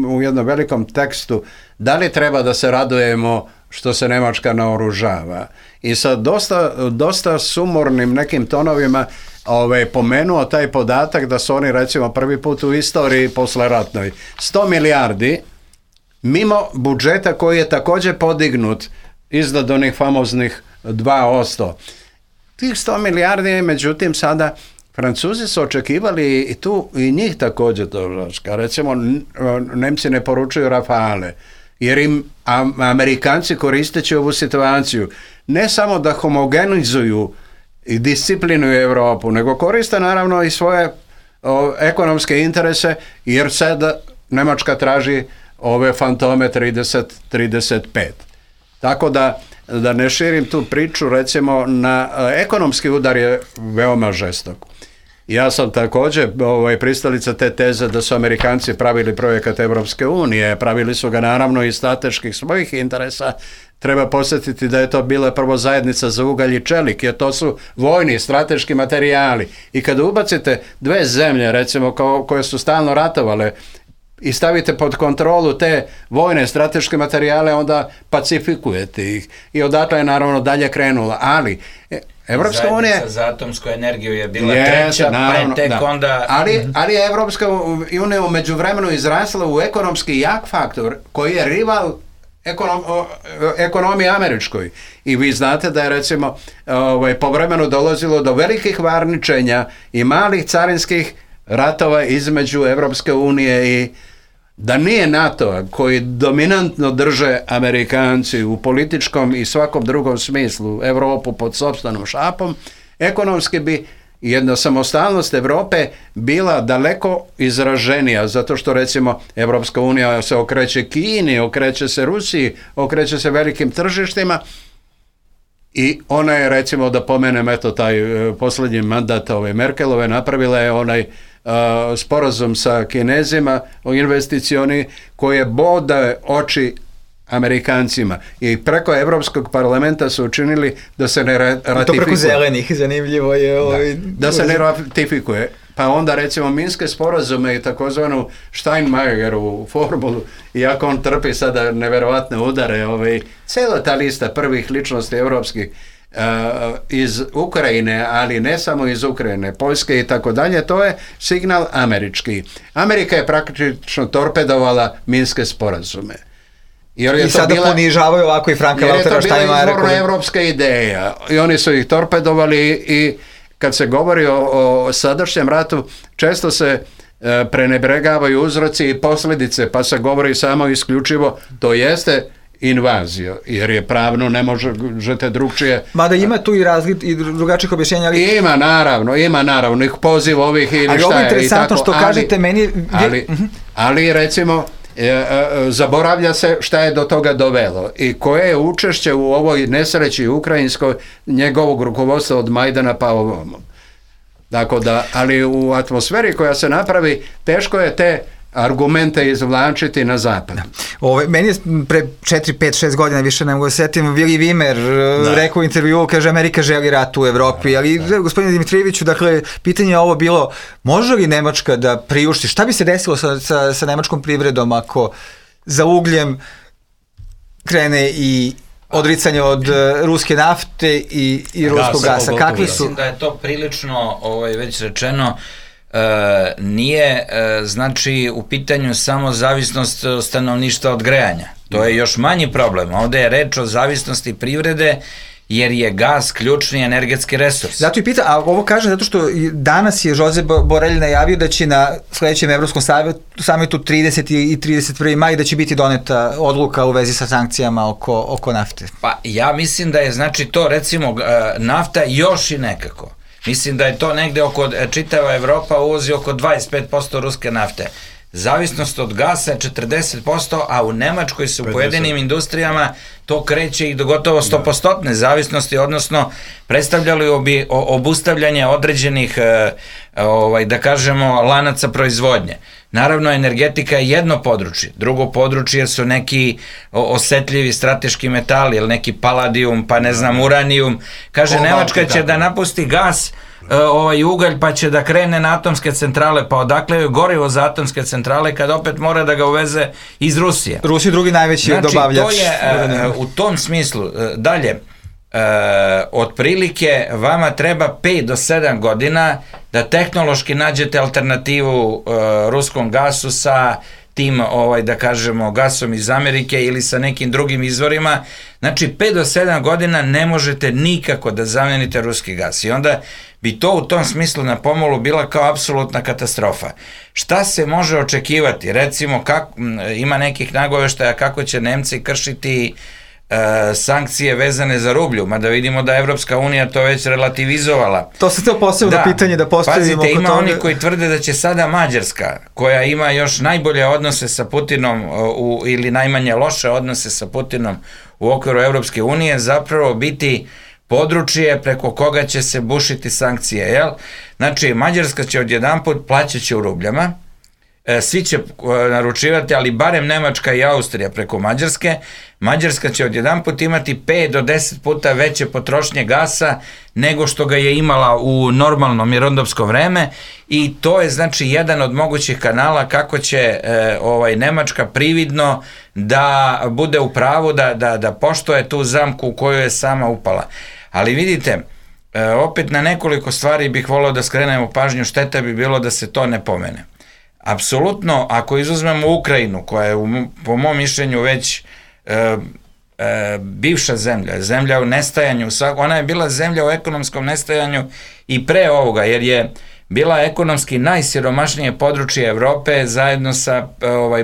u jednom velikom tekstu da li treba da se radujemo što se Nemačka naoružava. I sa dosta sumornim nekim tonovima pomenuo taj podatak da su oni recimo prvi put u istoriji posleratnoj 100 milijardi mimo budžeta koji je također podignut iznad onih famoznih 2%. Tih 100 milijardi, međutim, sada Francuzi su očekivali i tu i njih također to. Recimo, Nemci ne poručuju Rafale, jer im Amerikanci koristeći ovu situaciju ne samo da homogenizuju i disciplinuju Europu, nego koriste naravno i svoje ekonomske interese, jer sad Nemačka traži ove fantome 30-35. Tako da ne širim tu priču, recimo na ekonomski udar je veoma žestok. Ja sam također pristalica te teze da su Amerikanci pravili projekat Evropske unije, pravili su ga naravno iz strateških svojih interesa. Treba posjetiti da je to bila prvo zajednica za ugalj i čelik, jer to su vojni, strateški materijali. I kada ubacite dve zemlje, recimo, koje su stalno ratovale, i stavite pod kontrolu te vojne strateške materijale, onda pacifikujete ih. I odatle je naravno dalje krenula. Ali Evropska unija... Zajednica za atomsku energiju je bila treća, naravno, pa je tek onda... Ali je Evropska unija u međuvremenu izrasla u ekonomski jak faktor koji je rival ekonomiji američkoj. I vi znate da je recimo povremeno dolazilo do velikih varničenja i malih carinskih ratova između Evropske unije i da nije NATO-a koji dominantno drže Amerikanci u političkom i svakom drugom smislu Evropu pod sopstvenom šapom, ekonomski bi jedna samostalnost Evrope bila daleko izraženija, zato što recimo Evropska unija se okreće Kini, okreće se Rusiji, okreće se velikim tržištima i ona je, recimo, da pomenem taj posljednji mandat Merkelove, napravila je onaj sporazum sa Kinezima o investicioni koji je bode oči Amerikancima i preko Evropskog parlamenta su učinili da se ne ratifikuje. To preko zelenih, zanimljivo je. Da se ne ratifikuje. Pa onda recimo Minske sporazume i takozvanu Steinmeierovu formulu, iako on trpi sada neverovatne udare, cijela ta lista prvih ličnosti evropskih iz Ukrajine, ali ne samo iz Ukrajine, Poljske i tako dalje, to je signal američki. Amerika je praktično torpedovala Minske sporazume. I sada ponižavaju ovako i Franka Waltera Steinmeiera. Jer je to bila izvorno evropska ideja i oni su ih torpedovali i kad se govori o sadašnjem ratu, često se prenebregavaju uzroci i posljedice, pa se govori samo isključivo, to jeste invazija, jer je pravno ne možete drugčije. Mada ima tu i drugačijih objašnjenja. Ima naravno, ih poziv ovih ili šta je. Ali ovo je interesantno što kažete meni. Ali recimo, zaboravlja se šta je do toga dovelo i koje je učešće u ovoj nesreći ukrajinskoj njegovog rukovodstva od Majdana pa ovom. Tako da, ali u atmosferi koja se napravi, teško je te argumente izvlačiti na zapad. Meni je pre 4, 5, 6 godina, više ne mogu da setim, Willy Wimmer rekao u intervju, kaže Amerika želi rat u Evropi, ali gospodine Dimitrijeviću, dakle, pitanje je ovo bilo, može li Nemačka da priušti, šta bi se desilo sa nemačkom privredom ako za ugljem krene i odricanje od ruske nafte i ruskog gasa? Kakvi su? Mislim da je to prilično, već rečeno, nije znači u pitanju samo zavisnost stanovništva od grejanja. To je još manji problem. Ovde je reč o zavisnosti privrede jer je gas ključni energetski resurs. Zato i pita, a ovo kaže zato što danas je Josep Borrell najavio da će na sledećem Evropskom samitu 30. i 31. maj da će biti doneta odluka u vezi sa sankcijama oko nafte. Pa ja mislim da je znači to recimo nafta još i nekako. Mislim da je to negde čitava Evropa uvozi oko 25% ruske nafte. Zavisnost od gasa je 40%, a u Nemačkoj se u pojedinim industrijama to kreće i do gotovo 100% zavisnosti, odnosno predstavljali bi obustavljanje određenih, da kažemo, lanaca proizvodnje. Naravno, energetika je jedno područje. Drugo područje su neki osetljivi strateški metali, ili neki paladijum, pa ne znam, uranijum. Kaže, Nemačka će da napusti gas, ugalj, pa će da krene na atomske centrale, pa odakle je gorivo za atomske centrale kad opet mora da ga uveze iz Rusije. Rusija je drugi najveći dobavljač. Znači, to je u tom smislu. Dalje, otprilike vama treba 5 do 7 godina da tehnološki nađete alternativu ruskom gasu sa tim, da kažemo, gasom iz Amerike ili sa nekim drugim izvorima. Znači, 5 do 7 godina ne možete nikako da zamenite ruski gas i onda bi to u tom smislu na pomolu bila kao apsolutna katastrofa. Šta se može očekivati? Recimo, ima nekih nagoveštaja kako će Nemci kršiti sankcije vezane za rublju, mada vidimo da Evropska unija to već relativizovala. To se to posebno pitanje da postavimo. Pazite, ima oni koji tvrde da će sada Mađarska, koja ima još najbolje odnose sa Putinom ili najmanje loše odnose sa Putinom u okviru Evropske unije, zapravo biti područje preko koga će se bušiti sankcije, jel? Znači, Mađarska će odjedanput plaćaće u rubljama, svi će naručivati, ali barem Nemačka i Austrija preko Mađarske. Mađarska će odjedanput imati 5 do 10 puta veće potrošnje gasa nego što ga je imala u normalno mirnodopsko vreme i to je znači jedan od mogućih kanala kako će Nemačka prividno da bude u pravu, da poštuje tu zamku u koju je sama upala. Ali vidite, opet na nekoliko stvari bih volio da skrenemo pažnju, šteta bi bilo da se to ne pomene. Apsolutno, ako izuzmemo Ukrajinu, koja je po mom mišljenju već bivša zemlja u nestajanju, ona je bila zemlja u ekonomskom nestajanju i pre ovoga, jer je bila ekonomski najsiromašnije područje Evrope zajedno sa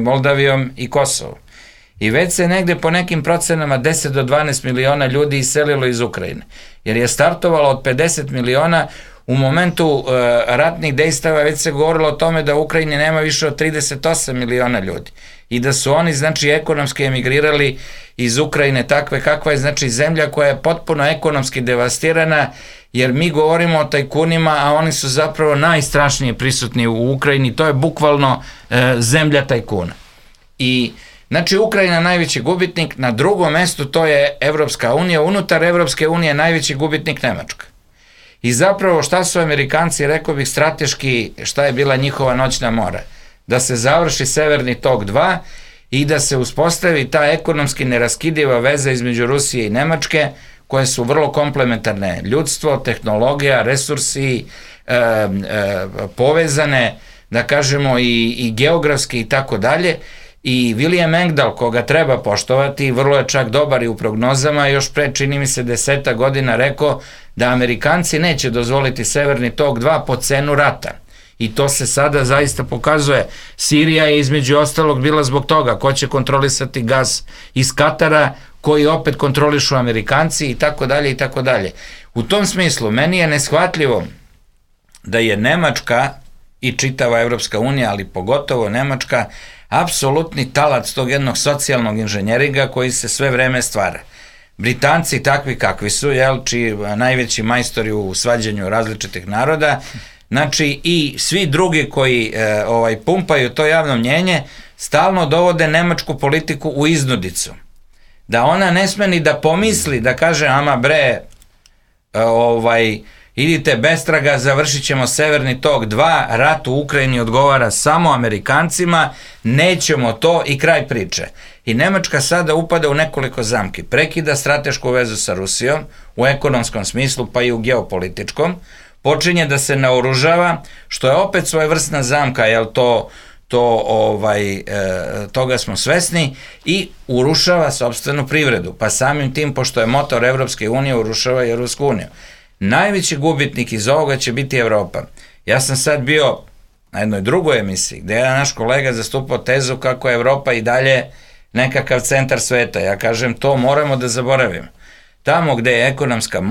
Moldavijom i Kosovom. I već se negde po nekim procenama 10 do 12 miliona ljudi iselilo iz Ukrajine, jer je startovalo od 50 miliona. U momentu ratnih dejstava već se govorilo o tome da u Ukrajini nema više od 38 miliona ljudi i da su oni znači ekonomski emigrirali iz Ukrajine takve kakva je znači zemlja koja je potpuno ekonomski devastirana, jer mi govorimo o tajkunima, a oni su zapravo najstrašnije prisutni u Ukrajini, to je bukvalno zemlja tajkuna. I znači Ukrajina najveći gubitnik, na drugom mestu to je Evropska unija, unutar Evropske unije najveći gubitnik Nemačka. I zapravo šta su Amerikanci, rekao bih strateški, šta je bila njihova noćna mora? Da se završi Severni tok 2 i da se uspostavi ta ekonomski neraskidiva veza između Rusije i Nemačke, koje su vrlo komplementarne. Ljudstvo, tehnologija, resursi, povezane, da kažemo i geografski i tako dalje. I William Engdahl, koga treba poštovati, vrlo je čak dobar i u prognozama, još pre čini mi se 10 godina rekao da Amerikanci neće dozvoliti Severni tok 2 po cenu rata. I to se sada zaista pokazuje. Sirija je između ostalog bila zbog toga ko će kontrolisati gas iz Katara, koji opet kontrolišu Amerikanci i tako dalje i tako dalje. U tom smislu, meni je neshvatljivo da je Nemačka i čitava Evropska unija, ali pogotovo Nemačka, apsolutni talac tog jednog socijalnog inženjeringa koji se sve vreme stvara. Britanci takvi kakvi su, čiji najveći majstori u svađanju različitih naroda, znači i svi drugi koji pumpaju to javno mnjenje, stalno dovode nemačku politiku u iznudicu. Da ona ne sme ni da pomisli, da kaže, ama bre, idite bestraga, završit ćemo Severni tok 2, rat u Ukrajini odgovara samo Amerikancima, nećemo to i kraj priče. I Nemačka sada upada u nekoliko zamki. Prekida stratešku vezu sa Rusijom, u ekonomskom smislu pa i u geopolitičkom, počinje da se naoružava, što je opet svojevrsna zamka, jer toga smo svesni, i urušava sopstvenu privredu, pa samim tim, pošto je motor Evropske unije, urušava i Evropsku uniju. Najveći gubitnik iz ovoga će biti Evropa. Ja sam sad bio na jednoj drugoj emisiji, gde je naš kolega zastupao tezu kako je Evropa i dalje nekakav centar sveta. Ja kažem, to moramo da zaboravimo. Tamo gde je ekonomska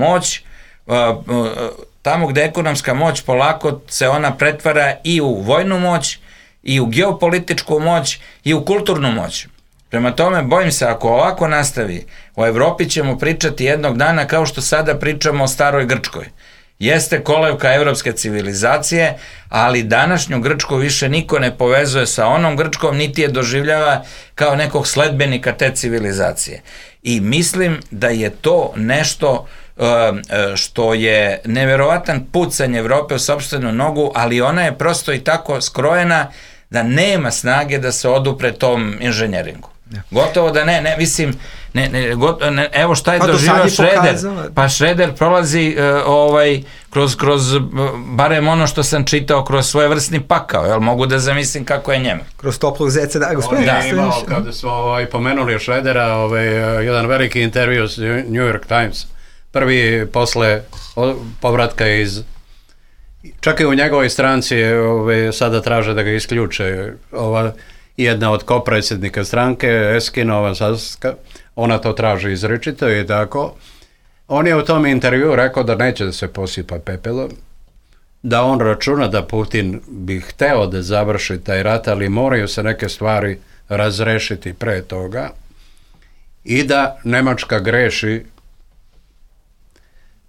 moć, polako se ona pretvara i u vojnu moć, i u geopolitičku moć, i u kulturnu moć. Prema tome, bojim se, ako ovako nastavi, o Evropi ćemo pričati jednog dana kao što sada pričamo o staroj Grčkoj. Jeste kolevka evropske civilizacije, ali današnju Grčku više niko ne povezuje sa onom Grčkom, niti je doživljava kao nekog sledbenika te civilizacije. I mislim da je to nešto što je neverovatan pucanj Evrope u sopstvenu nogu, ali ona je prosto i tako skrojena da nema snage da se odupre tom inženjeringu. Gotovo da mislim, evo šta je doživio Šreder, pa Šreder prolazi kroz barem ono što sam čitao, kroz svojevrsni pakao, jel mogu da zamislim kako je njemu. Kroz toplog zeca, da, gospodin. On je imao, kada smo pomenuli Šredera, jedan veliki intervju s New York Times, prvi posle povratka čak i u njegovoj stranci sada traže da ga isključe, jedna od kopredsjednika stranke, Eskinova, ona to traži izričito i tako. On je u tom intervju rekao da neće da se posipa pepelom, da on računa da Putin bi hteo da završi taj rat, ali moraju se neke stvari razrešiti pre toga i da Nemačka greši.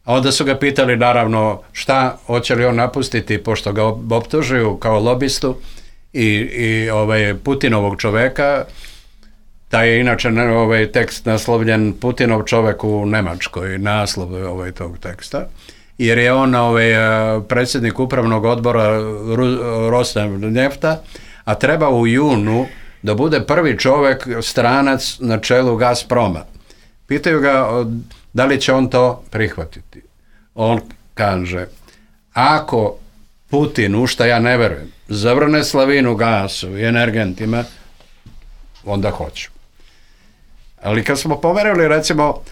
A onda su ga pitali naravno šta, hoće li on napustiti, pošto ga optužuju kao lobistu i Putinovog čoveka. Taj je inače tekst naslovljen Putinov čovek u Nemačkoj, naslov tog teksta, jer je on predsjednik upravnog odbora Rosnefta, a treba u junu da bude prvi čovek stranac na čelu Gazproma. Pitaju ga da li će on to prihvatiti. On kaže, ako Putin, u šta ja ne verujem, zavrne slavinu gasu i energentima, onda hoću. Ali kad smo pomenuli recimo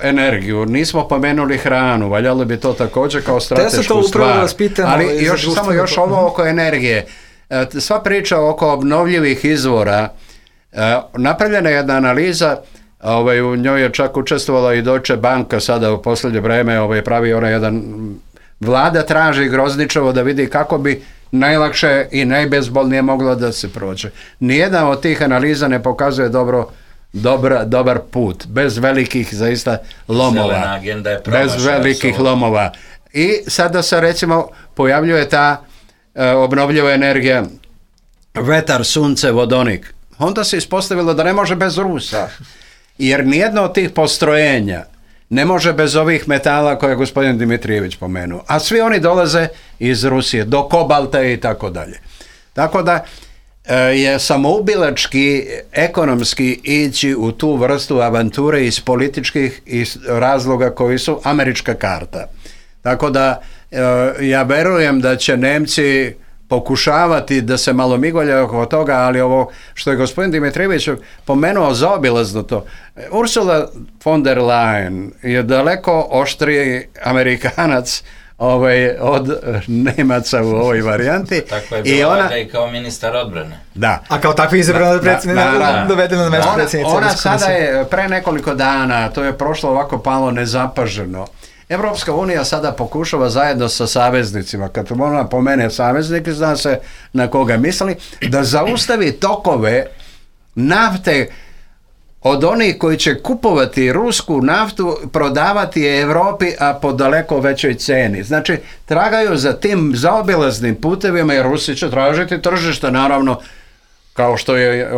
energiju, nismo pomenuli hranu, valjalo bi to također kao stratešku stvar. Ali još ovo oko energije. Sva priča oko obnovljivih izvora, napravljena je jedna analiza, u njoj je čak učestvovala i Deutsche Banka sada u posljednje vreme, pravi ona jedan, vlada traži Grozničevo da vidi kako bi najlakše i najbezbolnije moglo da se prođe. Nijedna od tih analiza ne pokazuje dobar put, bez velikih zaista lomova. Bez velikih lomova. I sada se recimo pojavljuje ta obnovljiva energija, vetar, sunce, vodonik. Onda se ispostavilo da ne može bez Rusa, jer nijedno od tih postrojenja ne može bez ovih metala koje je gospodin Dimitrijević pomenuo. A svi oni dolaze iz Rusije, do kobalta i tako dalje. Tako da je samoubilački, ekonomski ići u tu vrstu avanture iz političkih razloga koji su američka karta. Tako da ja verujem da će Nemci pokušavati da se malo migolja oko toga, ali ovo što je gospodin Dimitrijević pomenuo zaobilazno to. Ursula von der Leyen je daleko oštriji Amerikanac od Nemaca u ovoj varijanti. Tako je bilo ona, i kao ministar odbrane. Da. A kao takvi izabrana dovedena na mesto predsjednice. Ona sada je pre nekoliko dana, to je prošlo ovako palo nezapaženo. Evropska unija sada pokušava zajedno sa saveznicima, kad ona pomene saveznike, zna se na koga misli, da zaustavi tokove nafte od onih koji će kupovati rusku naftu, prodavati je Evropi, a po daleko većoj ceni. Znači, tragaju za tim zaobilaznim putevima i Rusi će tražiti tržište, naravno, kao što je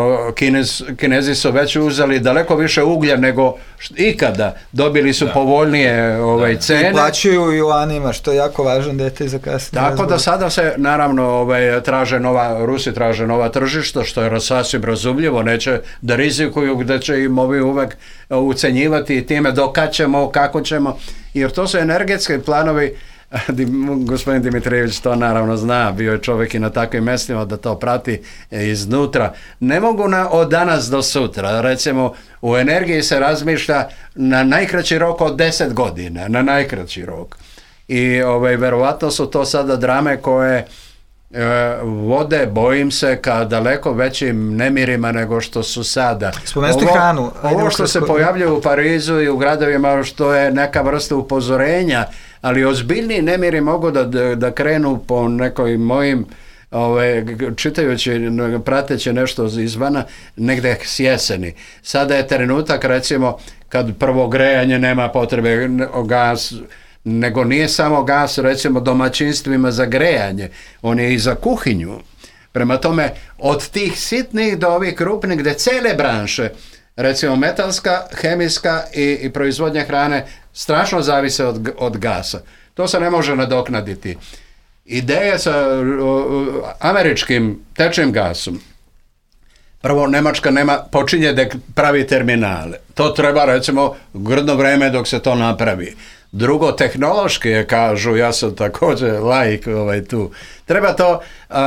Kinezi su već uzeli daleko više uglja nego ikada, dobili su povoljnije cene. I plaćuju juanima, što je jako važan detalj za kasnije. Tako da sada se naravno Rusi traže nova tržišta, što je sasvim razumljivo, neće da rizikuju gde će im ovi uvek ucenjivati time dokad ćemo, kako ćemo, jer to su energetski planovi. Gospodin Dimitrijević to naravno zna, bio je čovjek i na takvim mjestima da to prati iznutra. Ne mogu od danas do sutra, recimo u energiji se razmišlja na najkraći rok od 10 godina, na najkraći rok. I verovatno su to sada drame koje vode, bojim se, ka daleko većim nemirima nego što su sada. Spomenuti hranu. Ovo što se pojavljuje u Parizu i u gradovima, što je neka vrsta upozorenja, ali ozbiljni nemiri mogu da krenu po nekoj mojim čitajući, prateći nešto izvana, negde s jeseni. Sada je trenutak, recimo, kad prvo grejanje nema potrebe gas, nego nije samo gas, recimo, domaćinstvima za grejanje, on je i za kuhinju. Prema tome, od tih sitnih do ovih krupnih, gde cele branše, recimo metalska, hemijska i proizvodnja hrane, strašno zavise od gasa. To se ne može nadoknaditi. Ideja sa američkim tečnim gasom, prvo, Nemačka počinje da pravi terminale. To treba, recimo, grdno vreme dok se to napravi. Drugo, tehnološki je, kažu, ja sam također laik tu. Treba to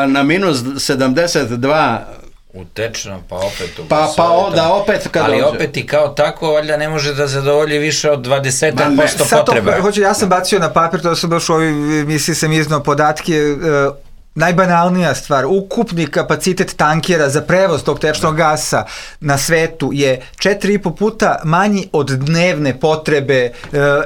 na minus 72 utečno, pa opet da opet kad ali opet i kao tako valjda ne može da zadovolji više od 20% potreba. Ja sam bacio na papir, to sam baš u ovoj emisiji sam iznao podatke, najbanalnija stvar, ukupni kapacitet tankera za prevoz tog tečnog gasa na svetu je 4,5 puta manji od dnevne potrebe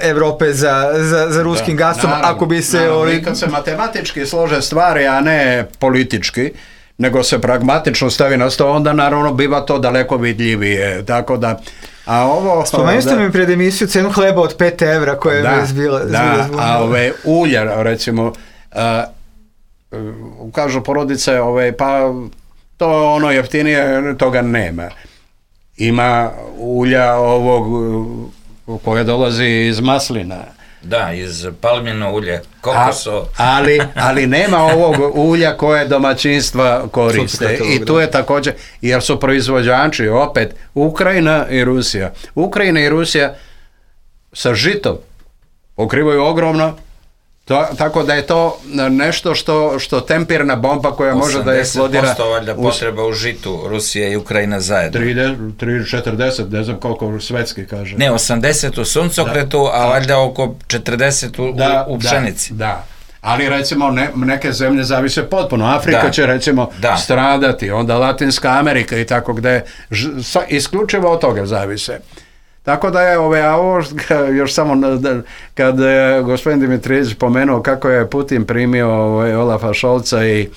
Evrope za ruskim gasom, ako bi se... I kad se matematički slože stvari, a ne politički, nego se pragmatično stavi na sto, onda naravno biva to daleko vidljivije, tako da... Spomenuli ste mi pred emisiju cenu hleba od 5 evra koja je zbila. A ulja, recimo, kažu porodice, pa to ono jeftinije, toga nema. Ima ulja ovog koje dolazi iz maslina. Da, iz palmino ulje, kokoso. Ali nema ovog ulja koje domaćinstva koriste. I tu je također, jer su proizvođači, opet, Ukrajina i Rusija. Ukrajina i Rusija sa žitom pokrivaju ogromno, tako da je to nešto što tempirna bomba koja može da eksplodira. 80% valjda potreba u žitu Rusije i Ukrajina zajedno. 40, ne znam koliko svetski kaže. Ne, 80 u suncokretu, a valjda oko 40 u pšenici. Da. Ali recimo neke zemlje zavise potpuno. Afrika će recimo stradati, onda Latinska Amerika i tako gde isključivo od toga zavise. Tako da je ovo još samo kad je gospodin Dimitrijević pomenuo kako je Putin primio Olafa Scholza i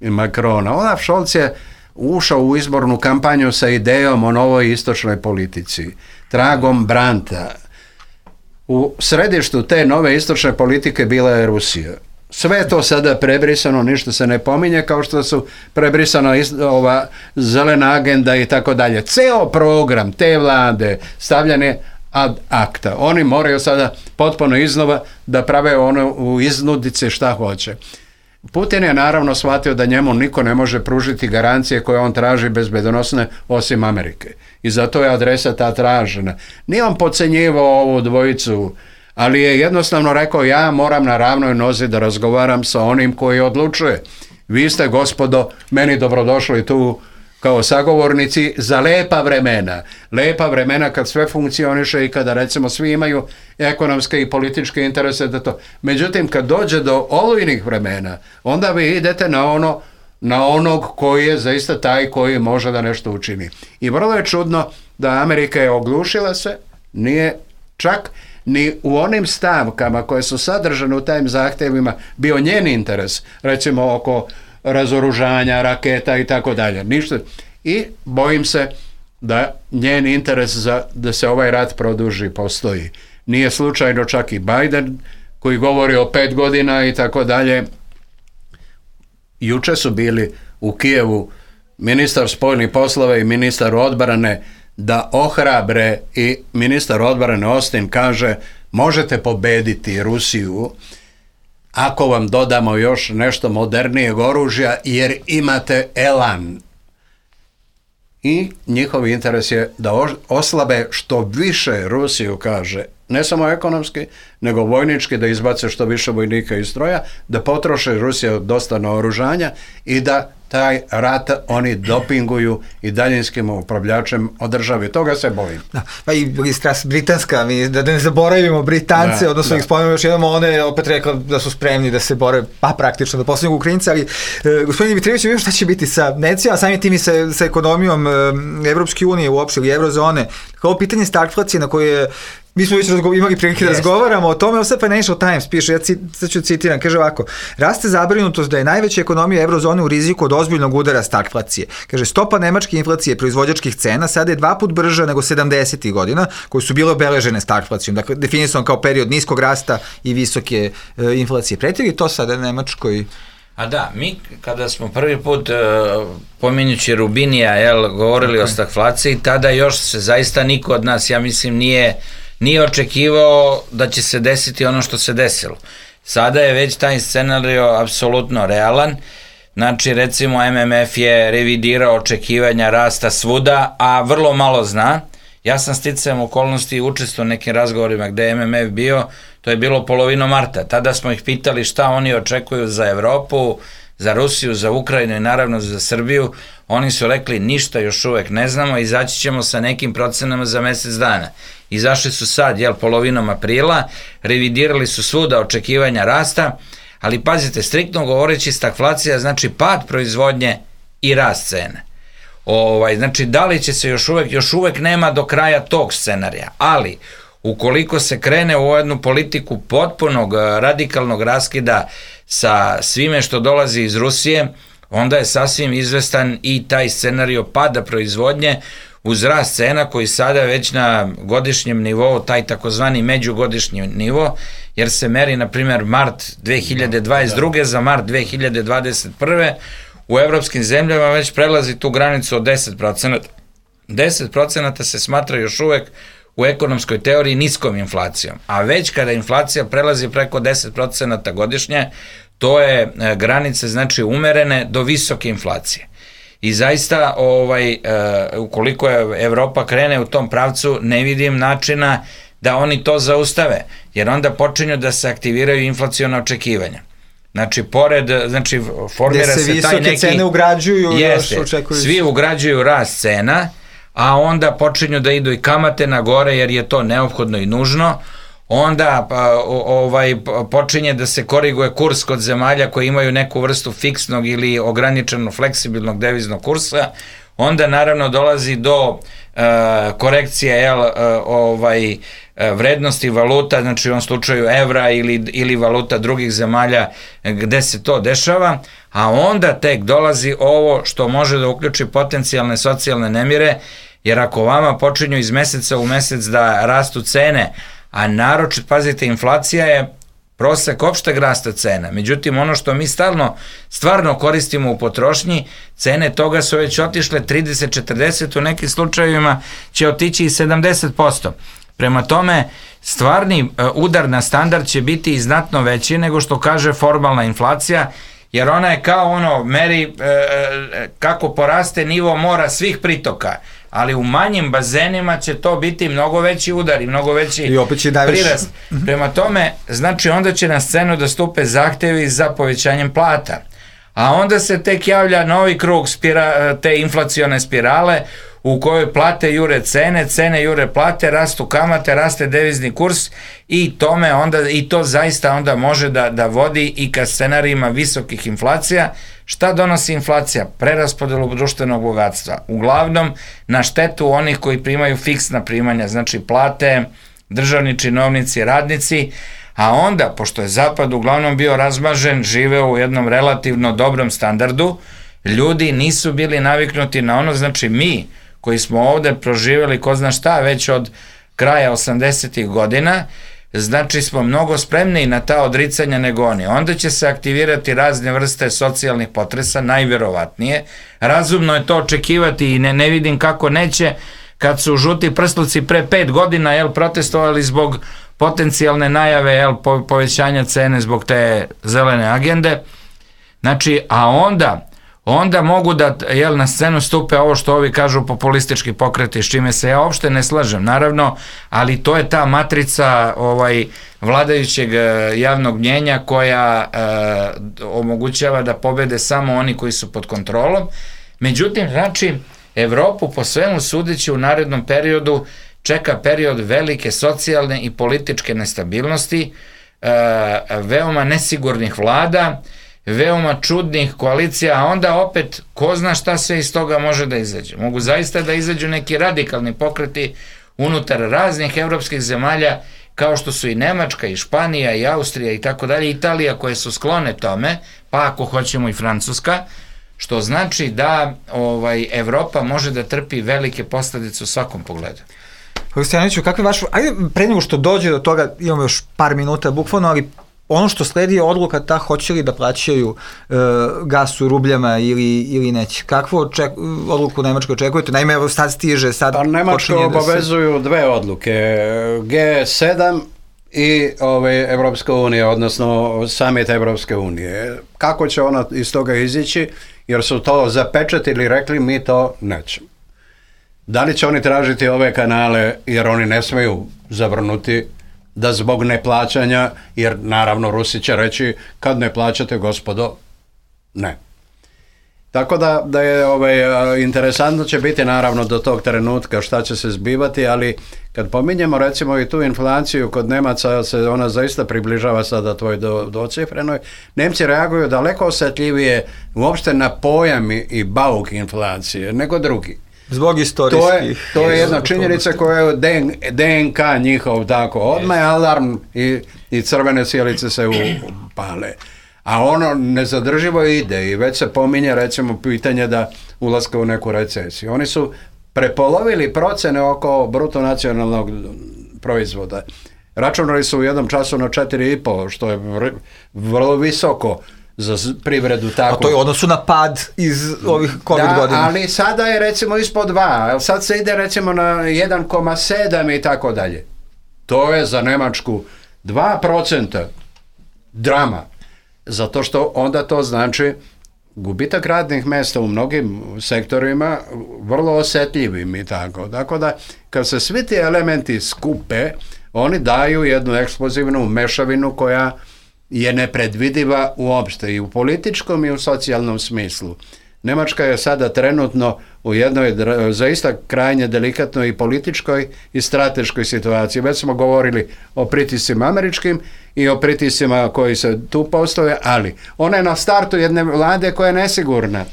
Macrona. Olaf Scholz je ušao u izbornu kampanju sa idejom o novoj istočnoj politici, tragom Brandta. U središtu te nove istočne politike bila je Rusija. Sve je to sada prebrisano, ništa se ne pominje, kao što su prebrisana ova zelena agenda i tako dalje. Ceo program te vlade stavljan je ad acta. Oni moraju sada potpuno iznova da prave ono u iznudice šta hoće. Putin je naravno shvatio da njemu niko ne može pružiti garancije koje on traži bezbedonosne osim Amerike. I zato je adresa ta tražena. Nije on podcenjivao ovu dvojicu, ali je jednostavno rekao, ja moram na ravnoj nozi da razgovaram sa onim koji odlučuje. Vi ste, gospodo, meni dobrodošli tu kao sagovornici za lepa vremena. Lepa vremena kad sve funkcioniše i kada recimo svi imaju ekonomske i političke interese da to. Međutim, kad dođe do olujnih vremena, onda vi idete na onog koji je zaista taj koji može da nešto učini. I vrlo je čudno da Amerika je oglušila se, nije čak ni u onim stavkama koje su sadržane u tajim zahtjevima bio njen interes, recimo oko razoružanja, raketa i tako dalje. Ništa. I bojim se da njen interes da se ovaj rat produži postoji. Nije slučajno čak i Biden koji govori o 5 godina i tako dalje. Juče su bili u Kijevu ministar spoljnih poslova i ministar odbrane da ohrabre i ministar odbrane Austin kaže možete pobediti Rusiju ako vam dodamo još nešto modernijeg oružja jer imate elan. I njihov interes je da oslabe što više Rusiju, kaže, ne samo ekonomski, nego vojnički, da izbace što više vojnika iz stroja, da potroše Rusija dosta naoružanja i da taj rat oni dopinguju i daljinskim upravljačem održavi. Toga se bojim. Da, pa i britanska, da ne zaboravimo Britance, odnosno ih spomenemo još jednom, one je opet rekla da su spremni da se bore, pa praktično da posljednju Ukrajinca, ali gospodin Dimitrijević, vidimo šta će biti sa Necijama, samim tim i sa ekonomijom Evropske unije uopšte ili Eurozone. Ovo pitanje stagflacije na koje mi smo već imali prilike da razgovaramo o tome, sad Financial Times piše, ja sad ću citiram, kaže ovako, raste zabrinutost da je najveća ekonomija Eurozone u riziku od ozbiljnog udara stagflacije. Kaže, stopa nemačke inflacije proizvođačkih cena sada je 2 puta brža nego 70. godina, koji su bile obeležene stagflacijom, dakle, definisan kao period niskog rasta i visoke inflacije. Preti li to sada Nemačkoj? A da, mi kada smo prvi put pominjući Rubinija govorili o stagflaciji, tada još se zaista niko od nas, ja mislim, nije očekivao da će se desiti ono što se desilo. Sada je već taj scenario apsolutno realan, znači recimo MMF je revidirao očekivanja rasta svuda, a vrlo malo zna. Ja sam sticajem okolnosti učestvovao u nekim razgovorima gde je MMF bio, to je bilo polovinom marta. Tada smo ih pitali šta oni očekuju za Evropu, za Rusiju, za Ukrajinu i naravno za Srbiju. Oni su rekli ništa još uvek ne znamo, izaći ćemo sa nekim procenama za mesec dana. Izašli su sad, polovinom aprila, revidirali su svuda očekivanja rasta, Ali pazite, striktno govoreći, stagflacija znači pad proizvodnje i rast cene. Znači, da li će se još uvek nema do kraja tog scenarija, ali ukoliko se krene u jednu politiku potpunog radikalnog raskida sa svime što dolazi iz Rusije, onda je sasvim izvestan i taj scenario pada proizvodnje uz rast cena koji sada već na godišnjem nivou, taj takozvani međugodišnji nivo, jer se meri, na primjer, mart 2022. za mart 2021. u evropskim zemljama već prelazi tu granicu od 10%. 10% se smatra još uvek u ekonomskoj teoriji niskom inflacijom, a već kada inflacija prelazi preko 10% godišnje, to je granice, znači, umerene do visoke inflacije. I zaista, ukoliko je Evropa krene u tom pravcu, ne vidim načina da oni to zaustave, jer onda počinju da se aktiviraju inflaciona očekivanja. Znači, formira se taj neki... Gde se visoke cene ugrađuju, još očekuju... Svi ugrađuju rast cena, a onda počinju da idu i kamate na gore, jer je to neophodno i nužno. Onda počinje da se koriguje kurs kod zemalja koji imaju neku vrstu fiksnog ili ograničeno fleksibilnog deviznog kursa. Onda naravno dolazi do korekcije vrednosti valuta, znači u ovom slučaju evra ili valuta drugih zemalja gde se to dešava, a onda tek dolazi ovo što može da uključi potencijalne socijalne nemire, jer ako vama počinju iz meseca u mesec da rastu cene, a naročito, pazite, inflacija je prosek opšteg rasta cena. Međutim, ono što mi stvarno koristimo u potrošnji, cene toga su već otišle 30-40, u nekim slučajevima će otići i 70%. Prema tome, stvarni udar na standard će biti i znatno veći nego što kaže formalna inflacija, jer ona je kao meri kako poraste nivo mora svih pritoka, ali u manjim bazenima će to biti mnogo veći udar i mnogo veći prirast. Prema tome, znači, onda će na scenu da stupe zahtevi za povećanjem plata, a onda se tek javlja novi krug te inflacione spirale u kojoj plate jure cene, cene jure plate, rastu kamate, raste devizni kurs i to zaista onda može da vodi i ka scenarijima visokih inflacija. Šta donosi inflacija? Preraspodelu društvenog bogatstva. Uglavnom na štetu onih koji primaju fiksna primanja, znači plate, državni činovnici, radnici, a onda, pošto je Zapad uglavnom bio razmažen, živeo u jednom relativno dobrom standardu, ljudi nisu bili naviknuti na ono, znači mi koji smo ovde proživjeli ko zna šta već od kraja 80-ih godina, znači smo mnogo spremniji na ta odricanja nego oni. Onda će se aktivirati razne vrste socijalnih potresa, najverovatnije. Razumno je to očekivati i ne vidim kako neće, kad su žuti prsluci pre 5 godina protestovali zbog potencijalne najave povećanja cene zbog te zelene agende. Znači, a onda mogu da na scenu stupe ovo što ovi kažu populistički pokreti, s čime se ja uopšte ne slažem, naravno, ali to je ta matrica vladajućeg javnog mnjenja koja omogućava da pobede samo oni koji su pod kontrolom. Međutim, znači, Evropu po svemu sudeći u narednom periodu čeka period velike socijalne i političke nestabilnosti, veoma nesigurnih vlada, veoma čudnih koalicija, a onda opet ko zna šta sve iz toga može da izađe. Mogu zaista da izađu neki radikalni pokreti unutar raznih evropskih zemalja, kao što su i Nemačka, i Španija, i Austrija, i tako dalje, Italija, koje su sklone tome, pa ako hoćemo i Francuska, što znači da Evropa može da trpi velike posledice u svakom pogledu. Hrišćanoviću, kakve vaš... Ajde, pre nego što dođe do toga, imamo još par minuta bukvalno, ali ono što sledi je odluka ta hoće li da plaćaju gas u rubljama ili neće. Kakvu odluku Nemačka očekujete? Naime, sad stiže, sad počinje da se... Nemačka obavezuju dve odluke, G7 i Evropska unija, odnosno summit Evropske unije. Kako će ona iz toga izići, jer su to zapečatili, rekli mi to nećemo. Da li će oni tražiti ove kanale, jer oni ne smeju zavrnuti da zbog neplaćanja, jer naravno Rusi će reći kad ne plaćate, gospodo, ne. Tako da je interesantno će biti naravno do tog trenutka šta će se zbivati, ali kad pominjemo recimo i tu inflaciju kod Nemaca se ona zaista približava sada tvoj docifrenoj, Nemci reaguju daleko osjetljivije uopšte na pojam i bauk inflacije nego drugi. Zbog istorijskih. To je jedna činjenica koja je DNK njihov tako. Odmah je alarm i crvene sjelice se upale. A ono nezadrživo ide i već se pominje recimo pitanje da ulaska u neku recesiju. Oni su prepolovili procene oko bruto nacionalnog proizvoda. Računali su u jednom času na 4,5, što je vrlo visoko za privredu tako. A to je odnosu na pad iz ovih COVID godina. Da, ali sada je recimo ispod 2, sad se ide recimo na 1,7 i tako dalje. To je za Njemačku 2% drama. Zato što onda to znači gubitak radnih mjesta u mnogim sektorima vrlo osjetljivim i tako. Tako da kad se svi ti elementi skupe, oni daju jednu eksplozivnu mešavinu koja je nepredvidiva uopšte i u političkom i u socijalnom smislu. Njemačka je sada trenutno u jednoj zaista krajnje delikatnoj i političkoj i strateškoj situaciji. Već smo govorili o pritiscima američkim i o pritiscima koji se tu postoje, ali ona je na startu jedne vlade koja je nesigurna.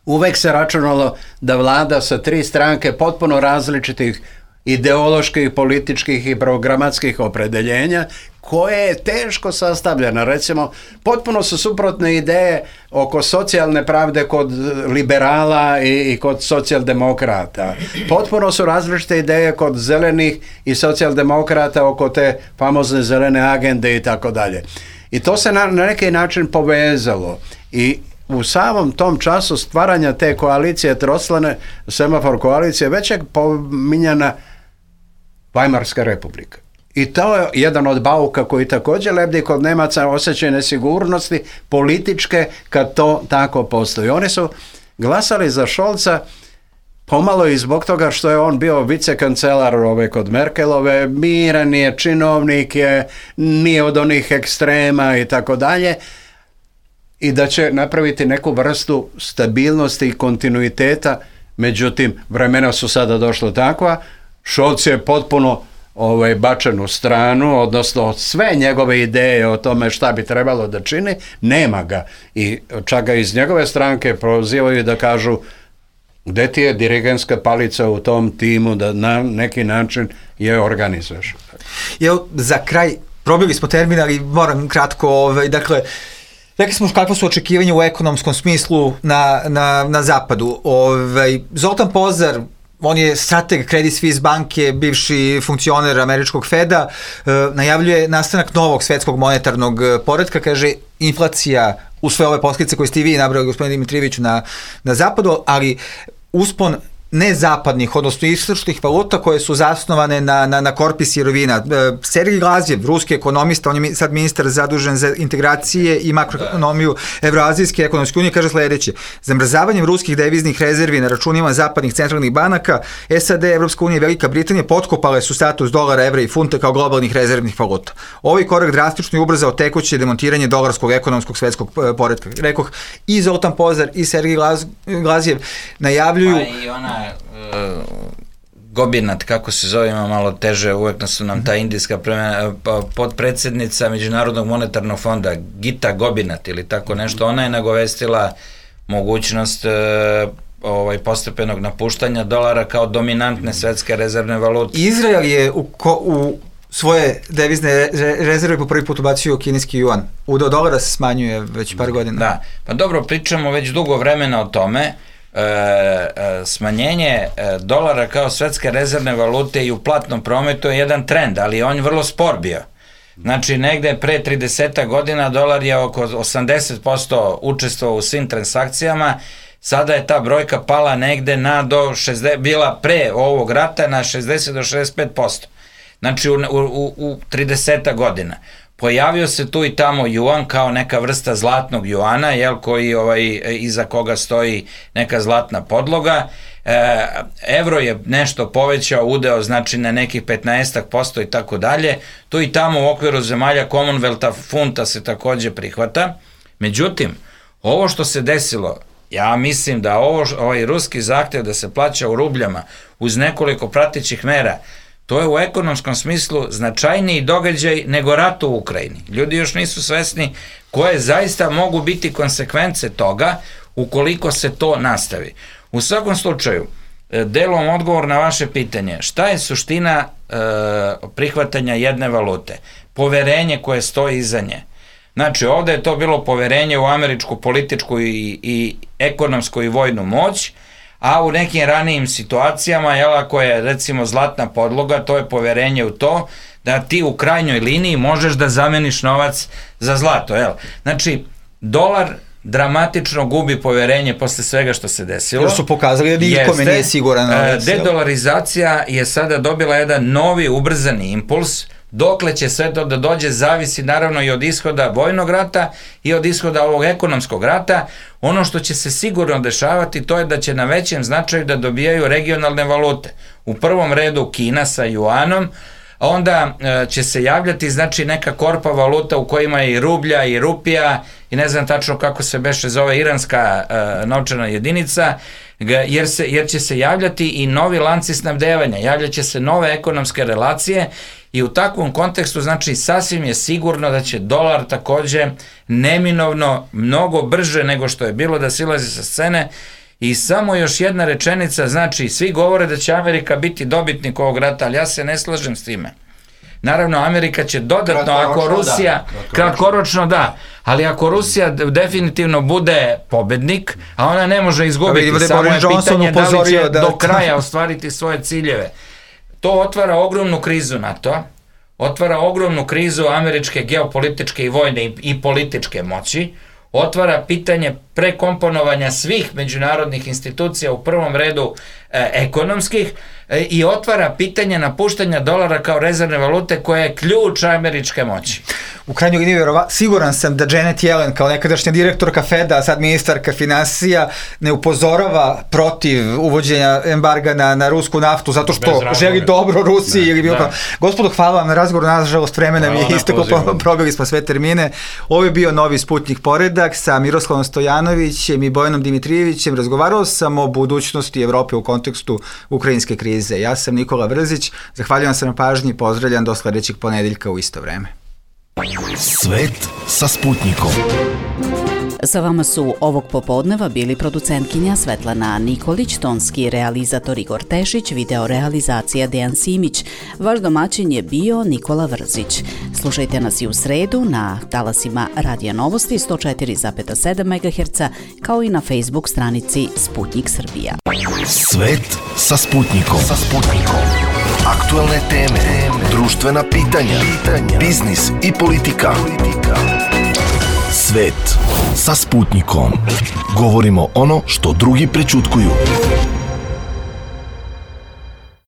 Uvek se računalo da vlada sa 3 stranke potpuno različitih ideoloških, političkih i programatskih opredeljenja koje je teško sastavljena. Recimo, potpuno su suprotne ideje oko socijalne pravde kod liberala i kod socijaldemokrata. Potpuno su različite ideje kod zelenih i socijaldemokrata oko te famozne zelene agende i tako dalje. I to se na neki način povezalo i u samom tom času stvaranja te koalicije, troslane semafor koalicije, već je pominjana Vajmarska republika. I to je jedan od bauka koji također lebdi kod Nemaca, osjećaj nesigurnosti političke kad to tako postoji. Oni su glasali za Scholza pomalo i zbog toga što je on bio vicekancelar kod Merkelove, miran je, činovnik je, nije od onih ekstrema i tako dalje, i da će napraviti neku vrstu stabilnosti i kontinuiteta. Međutim, vremena su sada došla takva, Scholz je potpuno bačen u stranu, odnosno sve njegove ideje o tome šta bi trebalo da čini, nema ga. I čak ga iz njegove stranke prozivaju da kažu gde ti je dirigentska palica u tom timu da na neki način je organizuješ. Za kraj, probili smo termin, ali moram kratko, dakle, rekli smo kakva su očekivanja u ekonomskom smislu na zapadu. Zoltan Pozar, on je strateg Credit Suisse banke, bivši funkcioner američkog Feda, najavljuje nastanak novog svetskog monetarnog poretka, kaže inflacija u sve ove posljedice koje ste i vi nabrali, gospodine Dimitrijeviću, na zapadu, ali uspon nezapadnih, odnosno istočnih valuta koje su zasnovane na korpi sirovina. Sergej Glazjev, ruski ekonomista, on je sad ministar zadužen za integracije i makroekonomiju Evroazijske ekonomske unije, kaže sledeće: zamrzavanjem ruskih deviznih rezervi na računima zapadnih centralnih banaka, SAD, Evropska unija i Velika Britanija potkopale su status dolara, evra i funta kao globalnih rezervnih valuta. Ovaj korak drastično je ubrzao tekuće demontiranje dolarskog ekonomskog svetskog poretka. Rekoh, i Zoltan Pozar i Sergej Glazjev najavljuju... Gobinat, kako se zove, ima malo teže, uvek su nam ta indijska podpredsednica Međunarodnog monetarnog fonda, Gita Gobinat ili tako nešto, ona je nagovestila mogućnost postepenog napuštanja dolara kao dominantne svetske rezervne valute. Izrael je u svoje devizne rezerve po prvi put ubacio kineski juan. Udeo dolara se smanjuje već par godina. Da, pa dobro, pričamo već dugo vremena o tome. Smanjenje dolara kao svetske rezervne valute i u platnom prometu je jedan trend, ali on je vrlo spor bio. Znači, negde pre 30 godina dolar je oko 80% učestvovao u svim transakcijama, sada je ta brojka pala negde bila pre ovog rata na 60 do 65%. Znači, u 30 godina. Pojavio se tu i tamo juan kao neka vrsta zlatnog juana, koji iza koga stoji neka zlatna podloga. Evro je nešto povećao udeo, znači na nekih 15% i tako dalje. Tu i tamo u okviru zemalja Commonwealtha funta se takođe prihvata. Međutim, ovo što se desilo Ja mislim da ovaj ruski zahtev da se plaća u rubljama uz nekoliko pratećih mera, to je u ekonomskom smislu značajniji događaj nego rat u Ukrajini. Ljudi još nisu svesni koje zaista mogu biti konsekvence toga ukoliko se to nastavi. U svakom slučaju, delom odgovor na vaše pitanje, šta je suština prihvatanja jedne valute? Poverenje koje stoji iza nje. Znači, ovde je to bilo poverenje u američku političku i ekonomsku i vojnu moć, a u nekim ranijim situacijama, ako je recimo zlatna podloga, to je poverenje u to da ti u krajnjoj liniji možeš da zameniš novac za zlato. Znači, dolar dramatično gubi poverenje posle svega što se desilo. Jer su pokazali da nikome nije siguran novac. Dedolarizacija je sada dobila jedan novi ubrzani impuls. Dokle će sve to da dođe zavisi naravno i od ishoda vojnog rata i od ishoda ovog ekonomskog rata. Ono što će se sigurno dešavati to je da će na većem značaju da dobijaju regionalne valute. U prvom redu Kina sa juanom, onda će se javljati znači neka korpa valuta u kojima je i rublja i rupija i ne znam tačno kako se beše zove iranska novčana jedinica, jer će se javljati i novi lanci snabdevanja, javljaće se nove ekonomske relacije i u takvom kontekstu znači sasvim je sigurno da će dolar takođe neminovno mnogo brže nego što je bilo da silazi sa scene. I samo još jedna rečenica, znači svi govore da će Amerika biti dobitnik ovog rata, ali ja se ne slažem s time. Naravno, Amerika će dodatno, ako Rusija, kratkoročno da, ali ako Rusija definitivno bude pobednik, a ona ne može izgubiti, samo je pitanje da li će do kraja ostvariti svoje ciljeve. To otvara ogromnu krizu NATO-a, otvara ogromnu krizu američke geopolitičke i vojne i političke moći, otvara pitanje prekomponovanja svih međunarodnih institucija, u prvom redu ekonomskih, i otvara pitanje napuštanja dolara kao rezervne valute koja je ključ američke moći. U krajnjoj liniji siguran sam da Janet Yellen kao nekadašnja direktorka Feda, a sad ministarka finansija, ne upozorava protiv uvođenja embarga na rusku naftu zato što želi dobro Rusiji ili bilo kao. Gospodo, hvala vam na razgovoru, nažalost vremena mi je isteklo, probili smo sve termine. Ovo je bio Novi Sputnik Poredak sa Miroslavom Stojanovićem i Bojanom Dimitrijevićem. Razgovarao sam o budućnosti Evrope u kontekstu ukrajinske krize. Ja sam Nikola Vrzić, zahvaljujem se na pažnji i pozdravljam do sledećeg ponedeljka u isto vreme. Svet sa Sputnikom. Sa vama su ovog popodneva bili producentkinja Svetlana Nikolić, tonski realizator Igor Tešić, video realizacija Dejan Simić. Vaš domaćin je bio Nikola Vrzić. Slušajte nas i u sredu na talasima Radija Novosti 104,7 MHz, kao i na Facebook stranici Sputnik Srbija. Svet sa Sputnikom. Aktualne teme, društvena pitanja, biznis i politika. Svet sa Sputnikom. Govorimo ono što drugi prećutkuju.